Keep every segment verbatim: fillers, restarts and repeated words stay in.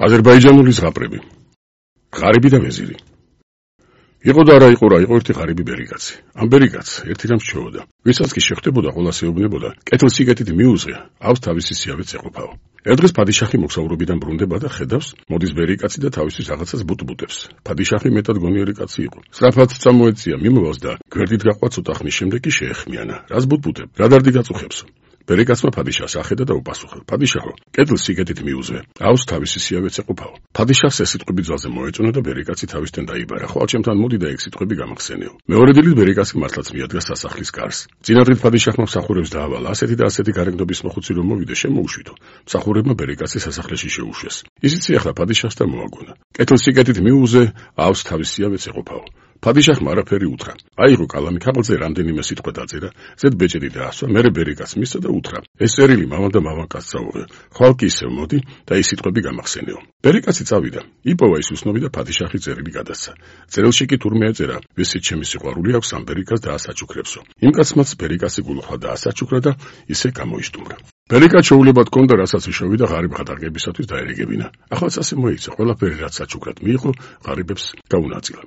აზერბაიჯანული ზღაპრები. ღარიბი და ვეზირი. იყო და არა იყო რა, იყო ერთი ღარიბი ბერიკაცი. ამ ბერიკაც ერთი რამს ჩეოდა. ვისაც კი შეხვდებოდა, ყოლას ეუბნებოდა, კეთილსიკეთით მიუძღე, ავს თავისი სიავეც ეყოფაო. ერთ დღეს ფადიშახი მოგზაურობიდან ბრუნდება და ხედავს, მოდის ბერიკაცი და თავისთვის რაღაცას ბუტბუტებს. ფადიშახი მეტად გონიერი კაცი იყო. სწრაფად წამოეწია, მიმოვავს და გვერდით გაყვა ცოტა ხნის შემდეგ კი შეეხმიანა. რას ბუტბუტებ? რა დარდი გაწუხებსო? ბერიკაცმა ფადიშახს ახედა და უპასუხა: ფადიშახო, კეთილსიკეთით მიუძღე, ავს თავისი სიავეც ეყოფაო. ფადიშახს ეს სიტყვები ძალზე მოეწონა და ბერიკაცი თავისთან დაიბარა. ხვალ ჩემთან მოდი და ეგ სიტყვები გამახსენეო. მეორე დილით ბერიკაცი მართლაც მიადგა სასახლის კარს. წინა დღით ფადიშახმა მსახურებს დაავალა, ასეთი და ასეთი გარეგნობის მოხუცი რომ მოვიდე, შემოუშვითო. მსახურებმა ბერიკაცი სასახლეში შეუშვეს. ისიც ახლა ფადიშახს და მოაგონა. კეთილსიკეთით მიუძღე, ავს თავისი სიავეც ეყოფაო. ფადიშახმა არაფერი უთხრა. აიღო კალამი, ქაღალდზე რამდენიმე სიტყვა დაწერა, ზედ ბეჭედი დაასვა, მერე ბერიკაცს მისცა და უთხრა: ეს წერილი მამალ და მამაკაცს წაუღე. ხვალ კი ისევ მოდი და ის სიტყვები გამახსენეო. ბერიკაცი წავიდა, იპოვა ის უსნობი და ფადიშახი წერილი გადასცა. წერილში კი თურმე ეწერა: ვისით ჩემი სიყვარული აქვს ამ ბერიკას დაასაჩუქრებსო. იმ კაცმაც ბერიკაცი გულუხვა დაასაჩუქრა და ისე გამოიშტუმრა. ბერიკაც შეულებად კონდა, რასაც შევიდა ღარიბ ხატარგებისათვის დაერეგებინა. ახლაც ასე მოიცა, ყველაფერი რაც საჩუქრად მიიღო, ღარიბებს გაუნაწილა.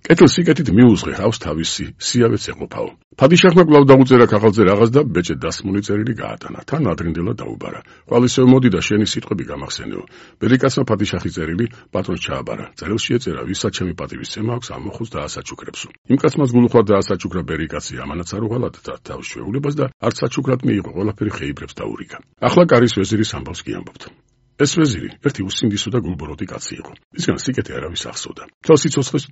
კეთილსიკეთით მიუძღე, ავს თავისი სიავეც ეყოფაო. ფადიშახმა კვლავ დაუწერა ქაღალდზე რაღაც და ბეჭედ დასმული წერილი გაატანა. თან ადრინდელად დაუბარა. ხვალ ისევ მოდი და შენი სიტყვები გამახსენეო. ბერიკაცმა ფადიშახის წერილი პატრონს ჩააბარა. წერილში ეწერა: ვისაც ჩემი პატივისცემა აქვს, ამ მოხუცს დაასაჩუქრებსო. იმ კაცმაც გულუხვა დაასაჩუქრა ბერიკაცი, ამანაც არ უღალატა თავის ჩვეულებას და არც საჩუქრად მიიღო, ყველაფერი ხეიბრებს დაურიგა. ახლა კარის ვეზირის ამბავს კი ამბობთ. ეს ვეზირი ერთი უსინდისო და გულბოროტი კაცი იყო. ისგან სიკეთე არავის ახსოვდა. თელ სიცოცხლეს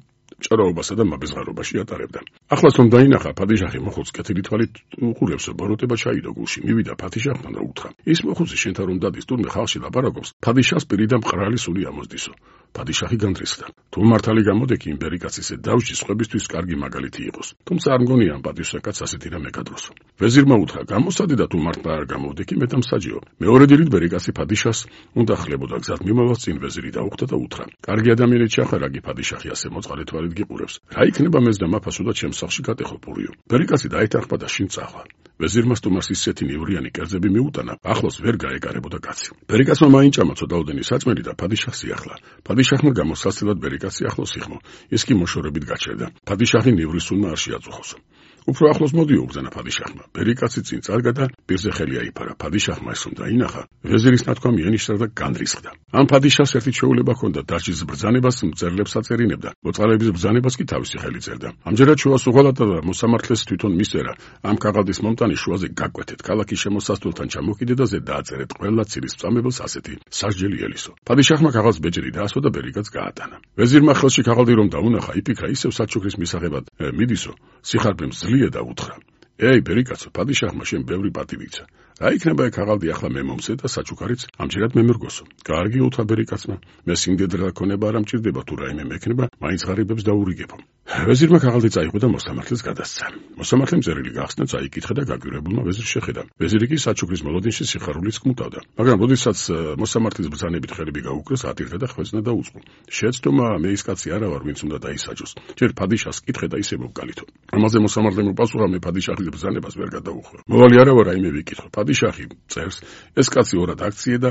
ჭრაობასა და მაბეზღარობაში ატარებდა. ახლაც რომ დაინახა, ფადიშახი მოხუცს კეთილი თვალით უყურებსო, ბოროტება ჩაიდო გულში. მივიდა ფადიშახთან და უთხრა: ის მოხუცი შენთან რომ დადის, თურმე ხალხში ლაპარაკობს, ფადიშახს პირიდან მყრალი სული ამოსდისო. ფადიშახი განდრისხდა. თუ მართალი გამოდექი იმ ბერიკაცის დავჯი სხვებისთვის კარგი მაგალითი იყოს. თუმცა არ მგონია ამ პატივსაკაც ასეთი რამე გადროსო. ვეზირმა უთხრა: გამოსადი და თუ მართლა არ გამოდექი, მე დამსაჯეო. მეორე დილით ბერიკაცი ფადიშახს უნდა ხლებოდა გზად მიმავალს წინ ვეზირი დაუხვდა და უთხრა: კარგი ადამიანი ჩახარაგი ფადიშახი ასე მოწყალე თვალით გიყურებს. რა იქნება მეც და მაფასო და ჩემს სახლში გატეხო პურიო. ბერიკაცი დაეთანხმა და შინ წახვა. ვეზირმა სტუმარს ისეთი ნივრიანი კერძები მიუტანა, ახლოს ვერ გაეკარებოდა კაცი. ბერიკაცმა მაინჭამა ცოდაოდენი საწმელი და ფადიშახს იახლა. ფადიშახმა გამოსასწრად ბერიკაცი ახლოს იხმო. ის კი მოშორებით გაჩერდა. ფადიშახი ნივრის სულმა არ შეაწუხოსო. უფრო ახლოს მოდიო უბრძანა ფადიშახმა. ბერიკაცი წინ წარგა და პირზე ხელი აიფარა. ფადიშახმა ეს რომ დაინახა, ვეზირის ნათქვამი ენიშნა და განდრისხდა. ამ ფადიშახს ერთი ჩვეულება ჰქონდა, დარჩის ბრძანებას მწერლებს აწერინებდა, მოწყალების ბრძანებას კი თავისი ხელი წერდა. ამჯერად შუას უღალატა და მოსამართლეს თვითონ მისწერა: ამ ქაღალდის მომტანი შუაზე გაკვეთეთ, ქალაქის შემოსასვლელთან ჩამოკიდე და ზედ დააწერეთ ყველა ცირის წამებელს ასეთი სასჯელი ელისო. ფადიშახმა ქაღალდს ბეჭედი დაასვა და ბერიკაც გაატანა. ვეზირმა ხელში ქაღალდი რომ დაუნახა, იფიქრა ისევ საჩუქრის მისაღებად მიდისო, სიხარბემ ზლია და უთხრა: ეი ბერიკაცო, ფადიშახმა შენ ბევრი პატივიცა. რა იქნება ეგ ქაღალდი ახლა მე მომცე და საჩუქარიც ამჯერად მე მერგოსო. კარგი უთხრა ბერიკაცმა, მე სიმდიდრე ქონება არ ამჭირდება, თუ რაიმე მექნება, მაინც ღარიბებს დაურიგებო. ვეზირმა ქაღალდი წაიღო და მოსამართლეს გადასცა. მოსამართლემ წერილი გახსნა, წაიკითხა და გაგვირებულმა ვეზირს შეხედა. ვეზირი კი საჩუქრის მოლოდინში სიხარულიც კმტავდა. მაგრამ როდესაც მოსამართლის ბრძანებით ხელები გაუკრეს, ატირდა და ხვეწნა და უწყო. შეეცდომა, მე ის კაცი არა ვარ, ვინც უნდა დაისაჯოს. ჯერ ფადიშახს კითხე და ისე მოვკალითო. ამაზე მოსამართლემ უპასუხა: მე ფადიშახის ბრძანებას ვერ გადაუხო. მოვალი არა ვარ, რაიმე ვიკითხო. ფადიშახი წერს: ეს კაცი ორად აქციე და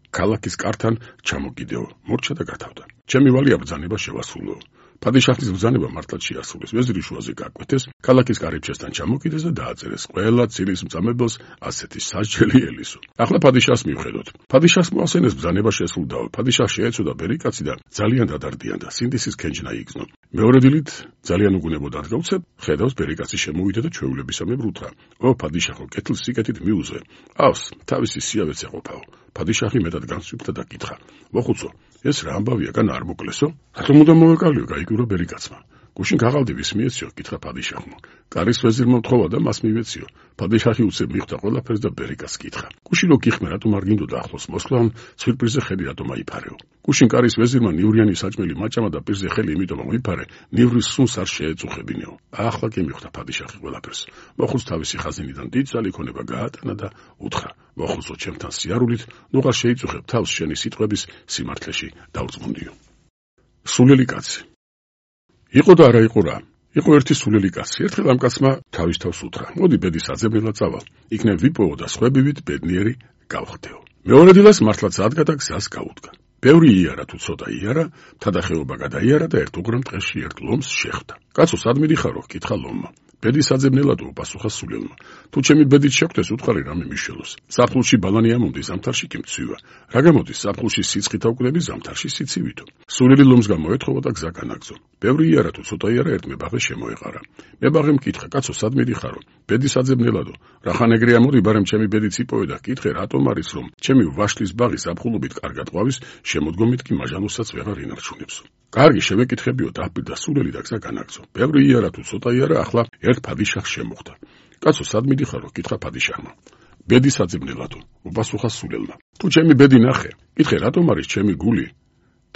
ქალაქის კართან ჩამოკიდეო. მორჩა და გათავდა. ჩემი ვალია ბრძანება შევასრულო. ფადიშახის ბრძანება მართლაც შეასრულეს. ვეზირი შუაზე გაკვეთეს, ქალაქის კარიბჭესთან ჩამოკიდეს და დააწერეს ყველა ცირის მწამებელს ასეთი სასჯელი ელისო. ახლა ფადიშახს მივხედოთ. ფადიშახს მოასენეს ბრძანება შესრულდაო. ფადიშახს შეეცოდა ბერიკაცი და ძალიან დადარდიანდა, სინდისის ქენჯნა იგზნო. მეორე დილით ძალიან უგუნებოდ არ გავცებ, ხედავს ბერიკაცი შემოვიდა და ჩვეულებისამებრ უთხრა: ო ფადიშახო, კეთილსიკეთით მიუძღე, ავს თავისი სიავეც ეყოფაო. ფადიშახი მეტად განსვიფთა და კითხა: მოხუცო, ეს რა ამბავია, გან არ მოკლესო? რატომ უნდა მოვეკალიო? გაიგურა ბერიკაცმა. გუშინ ქაღალდი ვის მიეციო? კითხა ფადიშახმა. კარის ვეზირმა მთხოვა და მას მივეციო. ფადიშახი უცებ მიხვდა ყველაფერს და ბერიკას კითხა: გუშინ რო გიხმე, რატომ არ გინდოდა ახლოს მოსვლა, სვირპრიზზე ხელი რატომ აიფარეო? გუშინ კარის ვეზირმა ნივრიანი საჭმელი მაჭამა და პირზე ხელი იმიტომ მოიფარე, ნივრის სუნს არ შეეწუხებინეო. ახლა კი მიხვდა ფადიშახი ყველაფერს. მოხუც თავისი ხაზინიდან დიდძალი ქონება გაატანა და უთხრა: მოხუცო, ჩემთან სიარულით, ნუღარ შეიწუხებ თავს შენი სიტყვების სიმართლეში დავწმუნდიო. სულელი კაცი. იყო და არა იყო რა. იყო ერთი სულელი კაცი. ერთხელ ამ კაცმა თავის თავს უთხრა: მოდი ბედის აძებნელად წავალ. იქნებ ვიპოვო და სხვებივით ბედნიერი გავხდეო. მეორე დილას მართლაც ადგა და გზას გაუდგა. ბევრი იარა თუ ცოტა იარა, თადახეობა გადაიარა და ერთ უგრამ ტყეში ერთ ლომს შეხვდა. კაცო, სად მიდიხარო? კითხა ლომმა. ბედის საძებნელადო, პასუხა სულელმა. თუ ჩემი ბედით შეხვდეს, უთხარი რამე მიშველოს. საფხულში ბალანი ამომდის, ზამთარში კი მცვივა. რა გამოდის, საფხულში სიცხით აუკლები, ზამთარში სიცივითო. სულელი ლომს გამოეთხოვა და გზა განაგზო. ბევრი იარა თუ ცოტა იარა ერთ მებაღე შემოეყარა. მებაღემ კითხა, კაცო, სად მიდიხარო? ბედის საძებნელადო. რახან ეგრე ამოდი, ბარემ ჩემი ბედიც იპოვე და კითხე, რატომ არის რომ ჩემი ვაშლის ბაღი საფხულობით კარგად ყვავის, შემოდგომით კი მაჟანოსაც ვეღარ ინარჩუნებსო. კარგი, შევეკითხებიო, დაპირდა სულელი და გზა განაგზო. ბევრი იარა თუ ცოტა იარა, ახლა ერთ ფადიშახს შემოხვდა. კაცო, სად მიდიხარო? კითხა ფადიშახმა. ბედის საძებნელადო, უპასუხა სულელმა. თუ ჩემი ბედი ნახე, კითხე, რატომ არის ჩემი გული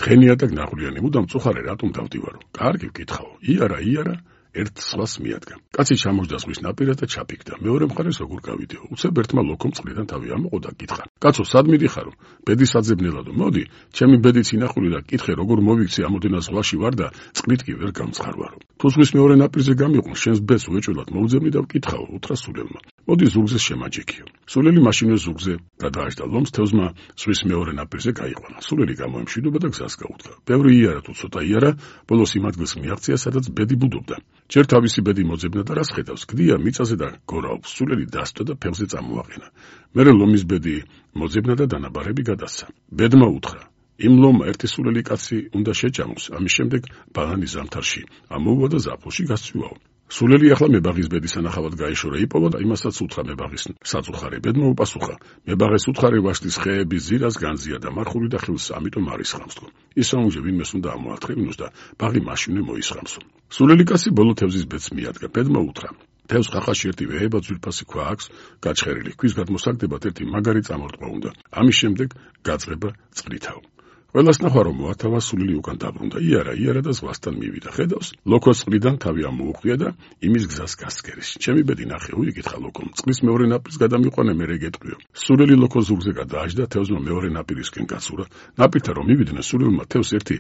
თხენია და ნაღვლიანი, მუდამ წუხარე რატომ დავდივარო? კარგი, ვკითხაო. იარა, იარა, ერთ სხვას მიადგა. კაცი ჩამოჯდა ზღვის ნაპირას და ჩაფიქდა. მეორე მხარეს როგორ გავიდეო? უცებ ერთმა ლოქომ წყლიდან თავი ამოყო და კითხა. კაცო, სად მიდიხარო? ბედის საძებნელადო. მოდი, ჩემი ბედიც ინახული და კითხე, როგორ მოვიქცე ამოდენა ზღვაში ვარ და წყლით კი ვერ გამცხარვარო. თუ ზღვის მეორე ნაპირზე გამიყვან, შენს ბედს უეჭველად მოვძებნი და ვკითხაო, უთხრა სულელმა. მოდი ზურგზე შემაჯექიო. სულელი მაშინვე ზურგზე გადააჭდა ლომს, თევზმა ზღვის მეორე ნაპირზე გაიყვანა. სულელი გამოემშვიდობა და გზას გაუდგა. ბევრი იარა თუ ცოტა იარა, ბოლოს იმ ადგილს მიაღწია, სადაც ბედი ბუდობდა. ჯერ თავისი ბედი მოძებნა და რას ხედავს, გდია მიწაზე და გორაობს. სულელი დასტო და ფეხზე წამოაყენა. მერე ლომის ბედი მოძებნა და დანაბარები გადასცა. ბედმა უთხრა, იმ ლომმა ერთი სულელი კაცი უნდა შეჭამოს, ამის შემდეგ ბალანი ზამთარში ამოუვა და ზაფხულში გასწვივაო. სულელი ახლა მებაღის ბედის ანახავად გაეშორა, იპოვა და იმასაც უთხრა მებაღის საწუხარე. ბედმა უპასუხა, მებაღეს უთხარი ვაშლის ხეების ზირას განზია და მარხული და ხილს, ამიტომ არისხამს თქო. ისაუნჯე ვინმეს უნდა ამოათხევინოს და ბაღი მაშინვე მოისხამსო. სულელი კაცი ბოლო თევზის ბედს მიადგა. ბედმა უთხრა, თევზ ხახაში ერთი ვეება ძვირფასი ქვა აქვს გაჩხერილი. ქვის გადმოსაგდებად ერთი მაგარი წამორტყვა უნდა. ამის შემდეგ გაწყება წყლითავ. ყველას ნახვა რომ მოათავა, სულელი უკან დაბრუნდა. იარა, იარა და ზღვასთან მივიდა. ხედავს, ლოქოს წყლიდან თავი ამოუყრია და იმის გზას გასკერის. ჩემი ბედი ნახე, უიკითხა ლოქომ. წყლის მეორე ნაპირს გადამიყვანე, მერე გეტყვიო. სულელი ლოქოს ზურგზე გადააჯდა, თევზმა მეორე ნაპირისკენ გაცურა. ნაპირთან რომ მივიდნენ, სულელმა თევზს ერთი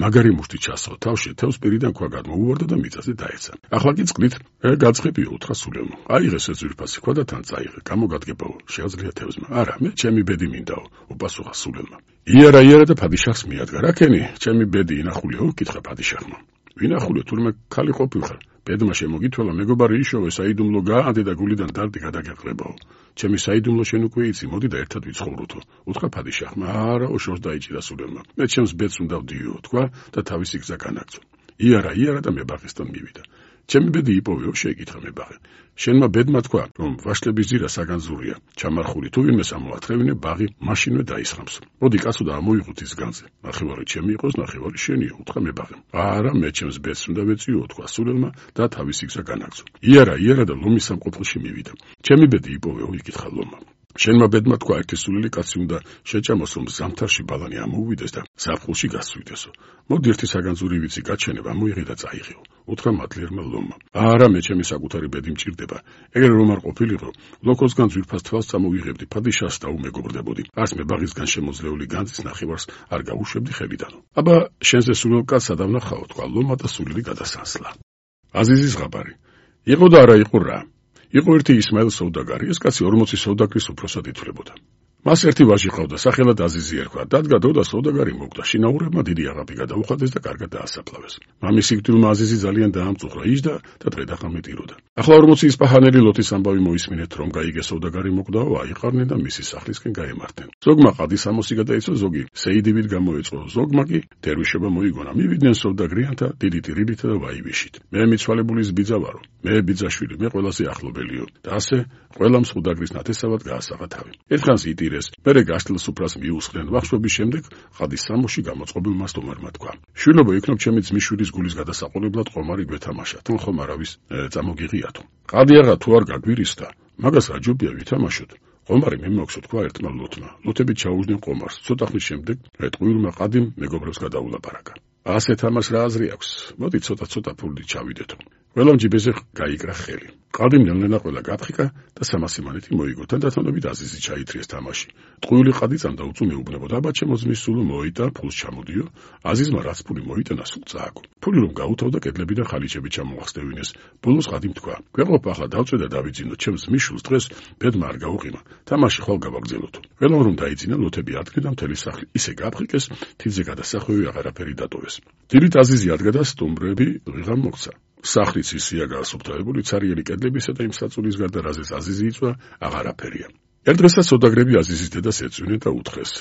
მაგარი მუშტი ჩასწრო თავში, თევზს პირიდან ქვა გადმოუვარდა და მიწაზე დაეცა. ახლა კი წყლით გაწყებიო, უთხრა სულელმა. აიღეს ეს ძვირფასი ქვა და თან წაიღე. გამოგადგებაო, შეაძლია თევზმა. არა, მე ჩემი ბედი მინდაო, უპასუხა სულელმა. იარა, იარა და ფადიშახს მიადგა. რა ქენი, ჩემი ბედი ინახულიო? კითხა ფადიშახმა. ვინახულიო, თურმე ქალი ყოფილხარ? ბედმა შემოგითვალა, მეგობარი იშოვე, საიდუმლო გაანდი და გულიდან დარდი გადაგეყრებაო. ჩემი საიდუმლო შენ უკვე იცი, მოდი და ერთად ვიცხოვროთო. უთხრა ფადიშახმა. არა, ოშორს დაიჭირა სულელმა. მე ჩემს ბედს უნდა ვდიო, თქვა და თავისი გზა განაგზო. იარა, იარა და მებაღისთან მივიდა. ჩემი ბედი იპოვეო, შეეკითხა მებაღე. შენმა ბედმა თქვა, რომ ვაშლების ძირა საგანძურია, ჩამარხული, თუ ვინმეს ამოათრევინე, ბაღი მაშინვე დაისხამს. მოდი კაცო და ამოიღოთ ის განძე. ნახევარი ჩემი იყოს, ნახევარი შენია, უთხრა მებაღემ. არა, მე ჩემს ბედს უნდა ვეწიო, თქვა სულელმა და თავისი გზა განაგზო. იარა, იარა და ლომის სამყოფელში მივიდა. ჩემი ბედი იპოვეო, იკითხა ლომმა. შენმა ბედმა თქვა, ერთი სულელი კაცი უნდა შეჭამოს, რომ ზამთარში ბალანი ამოუვიდეს და ზაფხულში გასწვიდესო. მოდი ერთი საგანძური ვიცი, გაჩენებ, ამოიღე და წაიღეო. უთხრა მადლიერმა ლომმა. არა, მე ჩემი საკუთარი ბედი მჭირდება. ეგრე რომ არ ყოფილიყო, ლოქოსგან ძვირფას თვალს წამოვიღებდი, ფადიშახს და უმეგობრდებოდი. არც მე ბაღისგან შემოძლეული განძის ნახევარს არ გავუშვებდი ხელიდანო. აბა, შენზე სულელ კაცს ადავნახაო, თქვა ლომმა და სულელი გადასანსლა. აზიზის ღაბარი. იყო და არა იყო რა. იყო ერთი ისმაილ სოუდაგარი, ეს კაცი ორმოცი სოუდაგრის უფროსად ითვლებოდა. მას ერთი ვაჟი ყავდა, სახელად აზიზი ერქვა. დადგა დრო და სოუდაგარი მოკვდა. შინაურებმა დიდი აღაპი გადაუხადეს და კარგად დაასაფლავეს. მამის სიკვდილმა აზიზი ძალიან დაამწუხრა, იჯდა და დღე-დახამე ტიროდა. ახლა ორმოცი ისპაჰანელი ლოთის ამბავი მოისმინეთ, რომ გაიგე სოუდაგარი მოკვდაო, აიყარნენ და მისი სახლისკენ გაემართნენ. ზოგმა ყადის ამოსი გადაიცვა, ზოგი სეიდივით გამოეწყო, ზოგმა კი დერვიშობა მოიგონა. მივიდნენ სოუდაგრიანთა დიდი ტირიბით და ვაივიშით. მე მიცვალებულის ბიძა ვარო, მე ბიძაშვილი, მე ყველაზე ახლობელიო და ასე ყველამ სოუდაგრის ნათესავად გაასაღა თავი. ერთხანს იტირეს, მერე გაშლილ სუფრას მიუსხდნენ. ვახშობის შემდეგ ყადის სამოში გამოწყობილმა სტუმარმა თქვა, შვილობო, იქნებ ჩემი ძმისშვილის გულის გადასაყოლებლად ყომარი გვეთამაშა, თან ხომ არავის წამოგიღიათო. ყადი აღა თუ არ გაგვირისდა, მაგას რა ჯობია ვითამაშოთ. ყომარი მიმოქვსო, თქვა ერთმა ლოთმა. ლოთები ჩაუждდნენ ყომარს. ცოტა ხნის შემდეგ ეტყუილმა ყადიმ მეგობრებს გადაულაპარაკა. ასე თამაშ რა აზრი აქვს? მოდი ცოტა-ცოტა ფულით ჩავიდეთო. ყველამ ჯიბეზე გაიკრა ხელი. ყალბი ნელ-ნელა ყველა გაფრიკა და სამასი მანეთი მოიგო. თანდათანობით აზიზი ჩაითრიეს თამაში. ტყუილი ყადი წამდა უწუ მეუბნებოდა. აბა ჩემო ძმის სულო მოიტა, ფულს ჩამოდიო. აზიზმა რაც ფული მოიტანა, სულ წააგო. ფული რომ გაუთავდა, კედლები და ხალიჩები ჩამოახსნევინეს. ბოლოს ყადიმ თქვა: "გვეყოფ ახლა დავწვე და დავიძინო, ჩემს მიშულს დღეს ბედმა არ გაუყიმა. თამაში ხვალ გავაგზელოთ." ყველამ რომ დაიძინა, ლოთები ადგა და მთელი სახლი ისე გაფრიკეს, თივზე გადასახვევი აღარაფერი დატოვეს. დილით აზიზი ადგა და სტუმრები ვიღამ მოხდა. სახლიც ისია გაასუფთავებული, ცარიელი კედლებისა და იმ საწულის გარდა, რაზეც აზიზი იწვა, აღარაფერია. ერთ დღესაც სოდაგრები აზიზის დედას ეწვინენ და უთხრეს: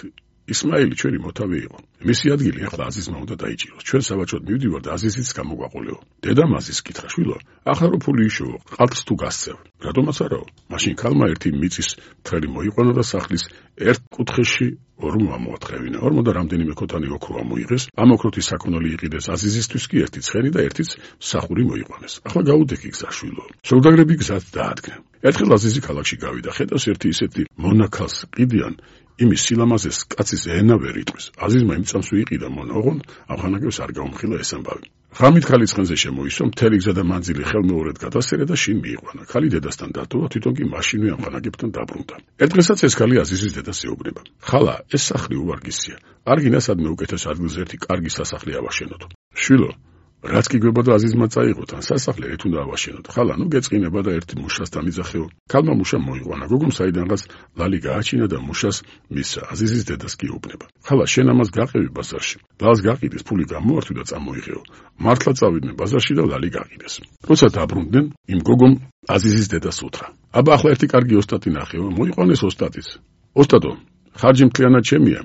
ისმაილი ჩვენი მოთავე იყო. მისი ადგილი ახლა აზიზმა უნდა დაიჭიროს. ჩვენ საბაჭოდ მივდივართ, აზიზიც გამოგვაყოლეო. დედამ აზიზს კითხა: შვილო, ახლა რო ფული იშოვო, ყალბს თუ გასცევ? რატომაც არაო? მაშინ ქალმა ერთი მიწის მთელი მოიყვანა და სახლის ერთ კუთხეში ორ მოამოათხოვინა. ორმო და რამდენიმე ქოთანი ოქრო ამოიღეს. ამ ოქროთი საქონელი იყიდეს აზიზისთვის კი ერთი ცხენი და ერთიც მსახური მოიყვანეს. ახლა გაუდექი გზა, შვილო. სოდაგრები გზად დაადგნენ. ერთხელ აზიზი ქალაქში გავიდა. ხედავს ერთი ისეთი მონაქალს ყიდიან, იმის სილამაზეს კაცის ენა ვერ იტყვის. აზიზმა იმ წამს ვიყიდა მონა, ოღონდ ამხანაგებს არ გაუმხილა ეს ამბავი. ღამით ქალის ცხენზე შემოისვა, მთელი გზა და მანძილი ხელმეორედ გადასერა და შინ მიიყვანა. ქალი დედასთან დატოვა, თვითონ კი მაშინვე ამხანაგებთან დაბრუნდა. ერთ დღესაც ეს ქალი აზიზის დედას ეუბნება: "ხალა, ეს სახლი უვარგისია. არ გინდა სადმე უკეთეს ადგილზე ერთი კარგი სასახლე ავაშენოთ." "შვილო, რაც კი გვებოდა აზიზმა წაიღოთ, ან სასახლე ერთ უნდა ავაშენოთ. ხალა, ნუ გეწყინება და ერთ მუშას დამიძახეო." ქალმა მუშა მოიყვანა. გოგომ საიდანღაც ლალი გააჩინა და მუშას მისცა. აზიზის დედას კი ეუბნება: "ხალა, შენ ამას გაყევი ბაზარში. ლალს გაყიდეს, ფული გამოართვი და წამოიღეო. მართლა წავიდნენ ბაზარში და ლალი გაყიდეს." როცა დაბრუნდნენ, იმ გოგომ აზიზის დედას უთხრა: "აბა ახლა ერთი კარგი ოსტატი ნახეო, მოიყვანეს ოსტატიც. ოსტატო, ხარჯი მთლიანად ჩემია.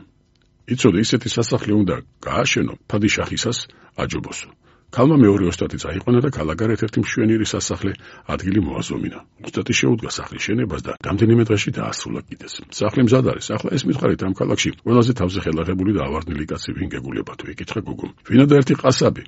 იცოდე, ისეთი სასახლე უნდა გააშენო, ფადიშახისას აჯობოსო." ქალმა მეორე ოსტატი წაიყვანა და ქალაქარ ერთ-ერთი მშვენიერი სასახლე ადგილი მოაზომინა. ოსტატი შეუდგა სახლის შენებას და რამდენიმე დღეში დაასრულა კიდეც. სახლი მზად არის. ახლა ეს მითხარით, ამ ქალაქში ყველაზე თავზე ხელაღებული და ავარდნილი კაცი ვინ გეგულება თუ? ეკითხა გოგომ. "ვინადა ერთი ყასაბი.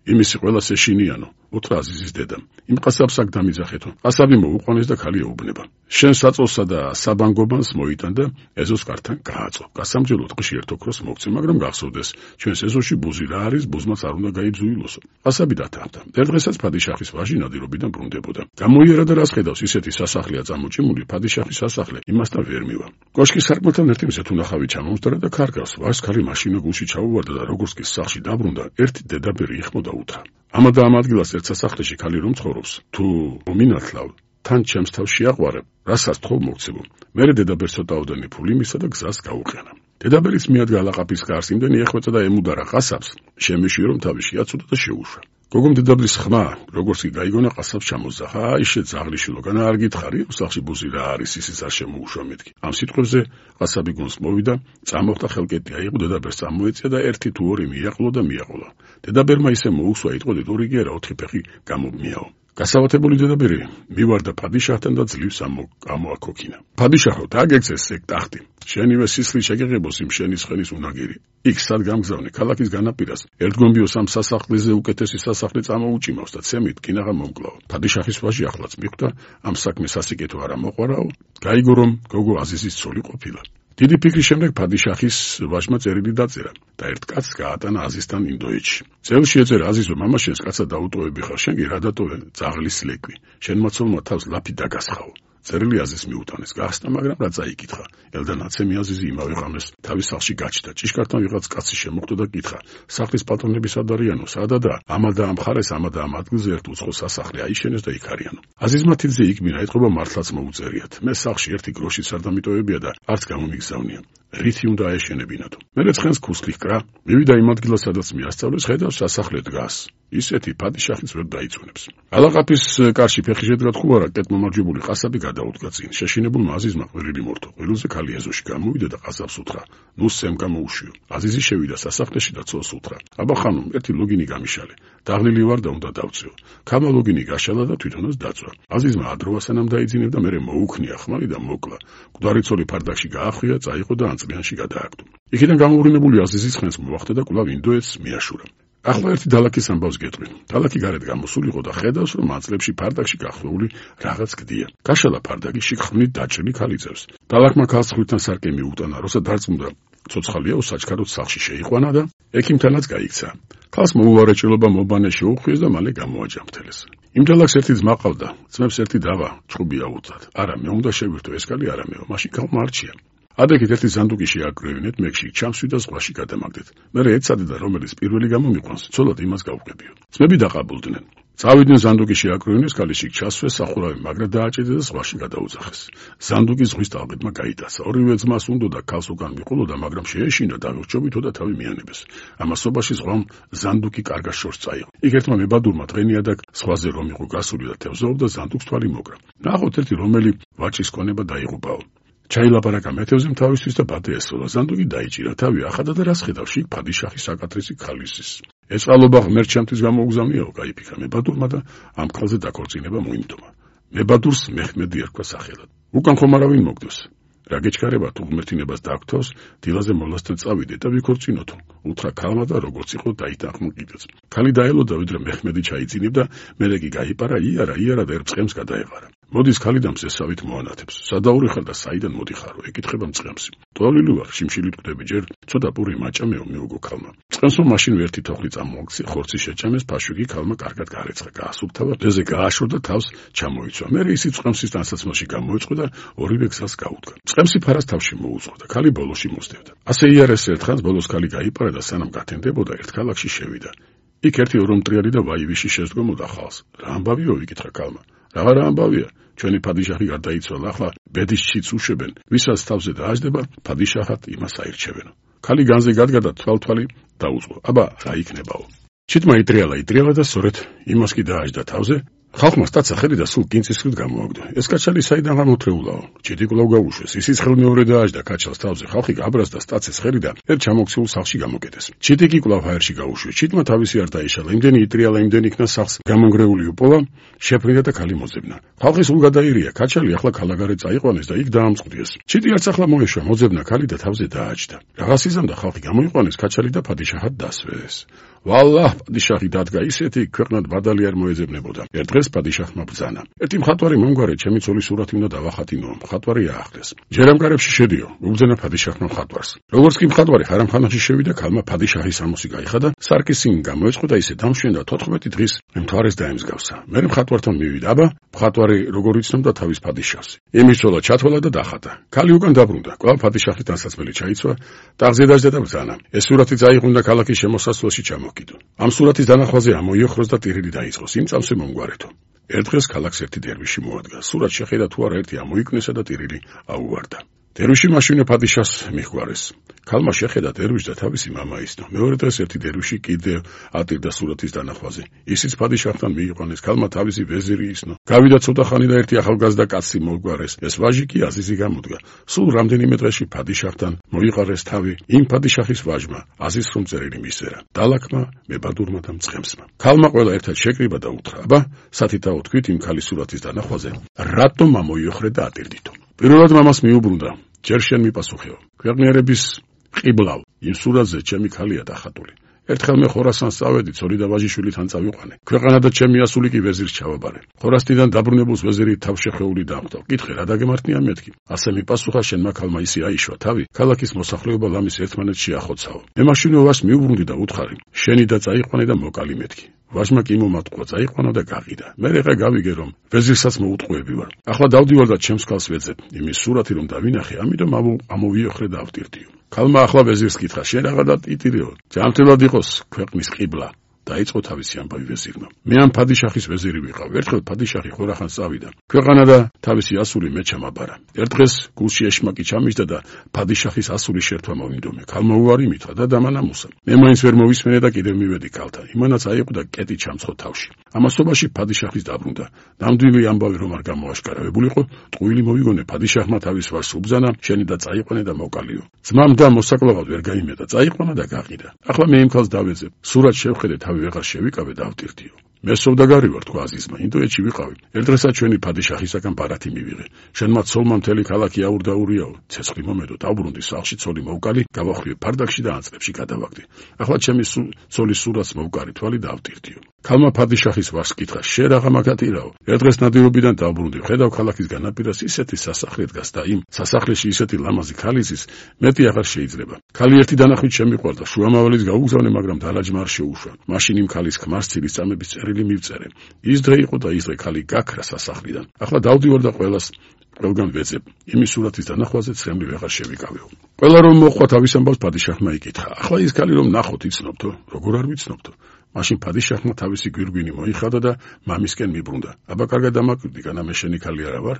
იმისი ყველას ეშინიანო", უთხრა აზიზის დედამ. "იმ ყასაბს აქ დამიძახეთო." ყასაბი მოუყვანეს და ქალი ეუბნება: "შენ საწოლსა და საბანგობანს მოიტან და ეზოს კართან გააწყო. გასამჯელო ტყში ერთ ოქროს მოგცე, მაგრამ გახსოვდეს, ჩვენს ეზოში ბუზი რა არის, ბუზმაც არ უნდა გაიძუილოსო." ყასაბი დათანხმდა. ერთ დღესაც ფადიშახის ვაჟი ნადირობიდან ბრუნდებოდა. გამოიარა და რას ხედავს, ისეთი სასახლეა წამოჭიმული, ფადიშახის სასახლე იმასთან ვერ მივა. კოშკის სარკმელთან ერთი მზეთ უნახავი ჩამომსდარა და ქარგავს. ვაჟს ქალი მაშინვე გულში ჩაუვარდა და როგორც კი სახლში დაბრუნდა, ერთი დედაბერი იხმოდა უთხრა: "ამა და ამ ადგილას ერთ სასახლეში ქალი რომ ცხოვრობს, თუ მომინათლავ, თან ჩემს თავს შეაყვარებ, რასაც თხოვ მოგცემო." მერე დედაბერს ცოტაოდენი ფული მისცა და გზას გაუყენა. დედაბერის მიადგა ლაყაფის გარს, იმდენი ეხვეწა და ემუდარა ყასაბს, შემეშია რომ თავი შეაცოდა და შეუშვა. გოგომ დედაბლის ხმა, როგორც კი გაიგონა, ყასაბს ჩამოძახა: "აი შეძაღლიშვილო, განა არ გითხარი, სახლში ბუზი რა არის, ისიც არ შემოუშვა მეთქი." ამ სიტყვებზე ყასაბი გონს მოვიდა, წამოხდა ხელკეტი აიღო, დედაბერს წამოეწია და ერთი თუ ორი მიაყოლო და მიაყოლა. დედაბერმა ისე მოუსვა, იტყოდით, ორი კი არა, ოთხი ფეხი გამომიაო. გასავათებული დედაბერი მივარდა ფადიშახთან და ძლივს ამოაქოქინა. "ფადიშახო, დაგეგცეს ეგ ტახტი. შენივე სისხლი შეგეღებოს იმ შენი ცხენის უნაგირი. იქ სად გამგზავნე, ქალაქის განაპირას. ერთგონბიო სამ სასახლეზე უკეთესი სასახლე წამოუჭიმავს და ცემით კინაღა მომკლაო." ფადიშახის ვაჟი ახლაც მიხვდა, ამ საქმეს სასიკეთო არ ამოყვარაო, გაიგო რომ გოგო აზიზის ცოლი ყოფილა. დიდი ფიქრის შემდეგ ფადიშახის ვაჟმა წერილი დაწერა და ერთ კაცს გაატანა აზიზთან ინდოეთში. წერილში ეწერა: "აზიზო, მამაშენს კაცად დაუტოვები ხარ, შენ კი რა დატოვე? ძაღლის ლეკვი. შენმა ცოლმა თავს ლაფი დაგასხაო." წერილი აზიზს მიუტანეს, გასტა, მაგრამ რა წაიკითხა. ელდანაცემი აზიზი იმავე ღამეს თავის სახლში გაჩნდა. ჭიშკართან ვიღაც კაცი შემოხვდა და კითხა: "სახლის პატრონები სად არიანო? სადადაა? ამა და ამ მხარეს, ამა და ამ ადგილზე ერთ უცხო სასახლე აიშენეს და იქ არიანო." აზიზმა თითზე იქმირა, ეთყობა მართლაც მოუწერიათ. "მე სახლში ერთი გროშიც არ დამიტოვებია და არც გამომიგზავნია. რითი უნდა აეშენებინათო?" მერე ცხენს ქუსლი ჰკრა, მივიდა იმ ადგილას, სადაც მიასწავლეს, ხედავს სასახლე დგას. ისეთი ფადიშახიც ვერ დაიწუნებს. ალაყაფის კარში ფეხი შედგა თხუარა, კეთმომარჯვებული ყასაბი გადაუდგა წინ. შეშინებულმა აზიზმა ყვირილი მორთო. ყვირულზე ქალი ეზოში გამოვიდა და ყასაბს უთხრა: "ნუ სემ გამოუშვიო." აზიზი შევიდა სასახლეში და ცოლს უთხრა: "აბა ხანუმ, ერთი ლოგინი გამიშალე. დაღლილი ვარ და უნდა დავწიო." ქალმა ლოგინი გაშალა და თვითონაც დაწვა. აზიზმა ადროვა სანამ დაიძინებდა, მერე მოუქნია ხმალი და მოკლა. მკვდარი ცოლი ფარდაკში გაახვია, წაიყო და ანწლიანში გადააგდო. იქიდან გამოუბრუნებული აზიზი ცხენს მოახდა და კვლავ ინდოეთს მიაშურა. ახლა ერთი დალაქის ამბავს გეტყვი. დალაქი გარეთ გამოსულიყო და ხედავს, რომ მანძილებში ფარდაკში გახვეული რაღაც გდია. გაშალა ფარდაკი, შიგ-ხვნით დაჭრილი ქალი წევს. დალაქმა ქალს ხვირთან სარკე მიუტანა, როცა დარწმუნდა ცოცხალია, უსაჩქაროდ სახლში შეიყვანა და ექიმთანაც გაიქცა. ქალს მოუვარეჭილობა მობანე შეუხვიეს და მალე გამოაჯამთელეს. იმ ჯალაკს ერთი ძმა ყავდა, ძმებს ერთი დავა, ჭუბი აუწად. არა, მე უნდა შევირთო ეს კალი არამეო, მაშინ ქალმა არჩია. ადრექით ერთი ზანდუგი შეაკრევინეთ, მეგში ჩამსვი და ზღვაში გადამაგდეთ. მერე ეცადე და რომელიც პირველი გამომიყვანს, ცოლად იმას გავუყებიო. ძმები დაყაბულდნენ. წავიდნენ ზანდუგი შეაკრევინეს კალიში ჩასვეს სახურავი მაგრა დააჭედა და ზღვაში გადაუძახეს. ზანდუგი ზღვის ტალღებმა გაიტაცა. ორივე ძმას უნდოდა ქალს უკან მიყოლოდა, მაგრამ შეეშინა და აღჭობითო და თავი მიანებეს. ამასობაში ზღვამ ზანდუგი კარგად შორს წაიღო. იქ ერთმა მებადურმა დღენიადაკ ზღვაზე რომ იყო გასული და თევზაობდა, ზანდუგს თვალი მოკრა. ნახოთ ერთი რომელი ვაჭრის ქონება დაიღუპაო. ჩაილაპარაკა მეთევზემ თავისთვის და ბადე ესწოლა. ზანდუგი დაიჭირა, თავი ახადა და რას ხედავში ფადიშახის საკათრისი ქალისის. ეს წყალობა ღმერთ ჩემთვის გამოუგზავნიაო, გაიფიქრა მებადურმა და ამ ქალზე დაქორწინება მოიმტომა. მებადურს მეჰმედი ერქვა სახელად. უკან ხომ არავინ მოგდოს. რა გეჩქარება თუ ღმერთინებას დაგვთავს, დილაზე მოლასთან წავიდე და ვიქორწინოთო. უთხრა ქალმა და როგორც იყო დაიტანხმა კიდეც. ქალი დაელოდა, ვიდრე მეჰმედი ჩაიძინებდა, მერე კი გაიპარა, იარა, იარა და ერწყემს გადაეყარა. მოდის ქალი და მზესავით მოანათებს. სადაური ხარ და საიდან მოდიხარო? ეკითხება მწყემსი. ტოლილი ვარ, შიმშილით კვდები ჯერ, ცოტა პური მაჭამეო, მიუგო ქალმა. მწყემსმა მაშინ ერთი თოხლი წამოაქცი, ხორცი შეჭამეს, ფაშვიგი ქალმა კარგად გაარეცხა, გაასუფთავა, დეზე გააშორ და თავს ჩამოიცვა. მერე ისი მწყემსის დასაცმელში გამოეწყო და ორივე გზას გაუდგა. მწყემსი ფარას თავში მოუწყო და ქალი ბოლოში მოსდევდა. ასე იარეს ერთხანს ბოლოს ქალი გაიპარა და სანამ გათენდებოდა ერთ ქალაქში შევიდა. იქ ერთი ორომტრიალი და ვაივიში შეესდგომოდა ხალს. რა ამბავიო? იკითხა ქალმა. რა ამბავია? ჩვენი ფადიშახი გარდაიცვალა, ახლა ბედის ჩიც უშვებენ, ვისაც თავზე დააჯდება, ფადიშახად იმას აირჩევენო. ქალი განზე გადგა და თვალთვალი დაუწყო. აბა, რა იქნებაო? ჩიტმა იტრიალა, იტრიალა და სწორედ იმას კი დააჯდა თავზე. ხალხმა სტაცა ხელი და სულ კინწისყრით გამოაგდო. ეს კაჩალი საიდან გამოთრეულაო? ჩიტი კვლავ გაუშვეს. ისიც ხელმეორე დააჯდა კაჩალს თავზე. ხალხი გაბრას და სტაცეს ხელი და ერთ ჩამოქცეულ სახლში გამოკეტეს. ჩიტი კი კვლავ ჰაერში გაუშვეს. ჩიტმა თავისი არ დაიშალა. იმდენი იტრიალა, იმდენი იქნა სახლს გამონგრეული უპოვა, შეფრინდა და ქალი მოძებნა. ხალხი სულ გადაირია. კაჩალი ახლა ქალაგარეთ წაიყვანეს და იქ დაამწყდიეს. ჩიტი არც ახლა მოეშვა, მოძებნა ქალი და თავზე დააჯდა. რაღაც იზამდა, ხალხი გამოიყვანეს, კაჩალი და ფადიშაჰად დასვეს. ვალლაჰ, პადიშაჰი დადგა ისეთი, ქვეყნად ბადალი არ მოეძებნებოდა. ერთ დღეს პადიშაჰმა ბრძანა. ერთი მხატვარი მომგვარე, ჩემი ცოლის სურათი უნდა დავახატინო. მხატვარი აახლეს. ჯერამგარებში შედიო, უბრძანა პადიშაჰმა მხატვარს. როგორც კი მხატვარი ხარამხანაში შევიდა, ქალმა პადიშაჰის სამოსი გაიხადა, სარკისინი გამოეწყო და ისე დამშვენდა თოთხმეტი დღის მთვარეს დაემსგავსა. მერე მხატვართან მივიდა. აბა, მხატვარი როგორ იცნობდა თავის პადიშაჰს. იმისწოლა, ჩათვალა და დახატა. ქალი უკან დაბრუნდა. კვლავ პადიშაჰის დასაცმელი ჩაიცვა, ტახზე დაჯდა და ბრძანა. ეს სურათი წაიყვანდა ქალაქის შემოსასვლელში ჩამო ამ სურათის დანახვაზე ამოიოხროს და ტირილი დაიწყოს. იმ წამსვე მომგვარეთო. ერთ დღეს ქალაქს ერთი დერვიში მოადგა. სურათს შეხედა თუ არა ერთი ამოიკნესა და ტირილი აუვარდა. დერვიში მაშინე პადიშაჰს მიხვარეს. ქალმა შეხედა დერვიშს და თავისი მამა ისნო. მეორე დღეს ერთი დერვიში კიდევ ატირდა სურათის დანახვაზე. ისიც პადიშაჰთან მიიყვანეს. ქალმა თავისი ვეზირი ისნო. გავიდა ცოტა ხანი და ერთი ახალგაზრდა კაცი მოგვარეს. ეს ვაჟი კი აზიზი გამოდგა. სულ რამდენიმე დღეში პადიშაჰთან მოიყარეს თავი იმ პადიშაჰის ვაჟმა, აზიზს რომ წერილი მისწერა. დალაკმა, მებადურმა და მწყემსმა. ქალმა ყველა ერთად შეკრიბა და უთხრა: აბა, სათითაო თქვით იმ ქალის სურათის დანახვაზე, რატომ ამოიოხრე და ატირდითო? პირველად მამას მიუბრუნდა. ჯერ შენ მიპასუხეო. ქვეყნიერების ყიბლავ, იმ სურათზე ჩემი ქალია დახატული. ერთხელ მე ხორასანს წავედი, ცოლი და ვაჟიშვილთან წავიყვანე. ქვეყანა და ჩემი ასული კი ვეზირს ჩავაბარე. ხორასტიდან დაბრუნებულს ვეზირი თავშეხეული დაამხდა. კითხე, რა დაგემართნია მეთქი? ასე მიპასუხა შენმა ქალმა ისი აიშვა თავი, ქალაქის მოსახლეობა ლამის ერთმანეთს შეახოცაო. მე მაშინვე ვაჟს მიუბრუნდი და უთხარი, შენი და წაიყვანე და მოკალი მეთქი. ვაჟმა კი მომატყვა, წაიყვანა და გაყიდა. მე რა გავიგე რომ ვეზირსაც მოუტყუები ვარ. ახლა დავდივარ და ჩემს ქალს ვეძებ. იმის სურათი რომ დავინახე, ამიტომ ამოვიოხრე და ავტირდიო. ქალმა ახლა ვეზირს კითხა, შენ რაღა დატიტირეო? ჯანმრთელად იყოს ქვეყნის ყიბლა. დაიწყო თავისი ამბავი ვეზირმა. მე ამ ფადიშაჰის ვეზირი ვიყავ. ერთხელ ფადიშაჰი ხორახანს წავიდა. ქვეყანა და თავისი ასული მე ჩამაბარა. ერთ დღეს გულში ეშმაკი ჩამიჯდა და ფადიშაჰის ასულის შერთვა მოვინდომე. ქალმა უარი მითხრა და დამანამუსა. მე მაინც ვერ მოვისმენე და კიდევ მივედი ქალთან. იმანაც აიყო და კეტი ჩამცხო თავში. ამასობაში ფადიშაჰის დაბრუნდა. ნამდვილი ამბავი რომ არ გამოაშკარავებულიყო, ტყუილი მოვიგონე ფადიშაჰმა თავის ვაჟს უბრძანა, შენი და წაიყვანე და მოკალიო. ძმამ და მოსაკლავად ვერ გაიმეტა, წაიყვანა და გაყიდა. ახლა მე იმ ქალს დავეძებ. სურათს შევხედე, თავი ვეღარ შევიკავე და ავტირდიო. მე სოვდაგარი ვარ, თქვა აზიზმა, ინდოეთში ვიყავი. ერთ დღესაც ჩვენი ფადიშაჰისაგან ბარათი მივიღე. შენმა ცოლმა მთელი ქალაქი აურდაურიაო. ცეცხლი მომედო, დავბრუნდი სახლში, ცოლი მოვკალი, გავახვიე ფარდაკში და ანწრებში გადავაგდე. ახლა ჩემი ცოლის სურათს მოვკარი თვალი და ავტირდიო. ქალმა ფადიშახის ვარს კითხა: შე რაღა მაგათირაო? ერთ დღეს ნადირობიდან დავბრუნდი, ხედავ ქალაქის განაპირას ისეთი სასახლე დგას და იმ სასახლეში ისეთი ლამაზი ქალიცის მეტი აღარ შეიძლება. ქალი ერთი დანახვით შემიყვარდა, შუამავალის გაუგზავნე, მაგრამ დალაჯმა არ შეუშვა. მაშინ იმ ქალის ქმარს ცილის წამების წერილი მივწერე. ის დღე იყო და ის დღე ქალი გაქრა სასახლიდან. ახლა დავდივარ და ყველას ყველგან ვეძებ. იმის სურათის დანახვაზე ცრემლი ვეღარ შევიკავეო. ყველა რომ მოხვა თავის ამბავს ფადიშახმა იკითხა: ახლა ის ქალი რომ ნახოთ იცნობთო? როგორ არ ვიცნობთო? მაშინ ფადიშახმა თავისი გვირგვინი მოიხადა და მამისკენ მიბრუნდა. აბა კარგად დამაკვირდი, განა მე შენი ქალი არა ვარ?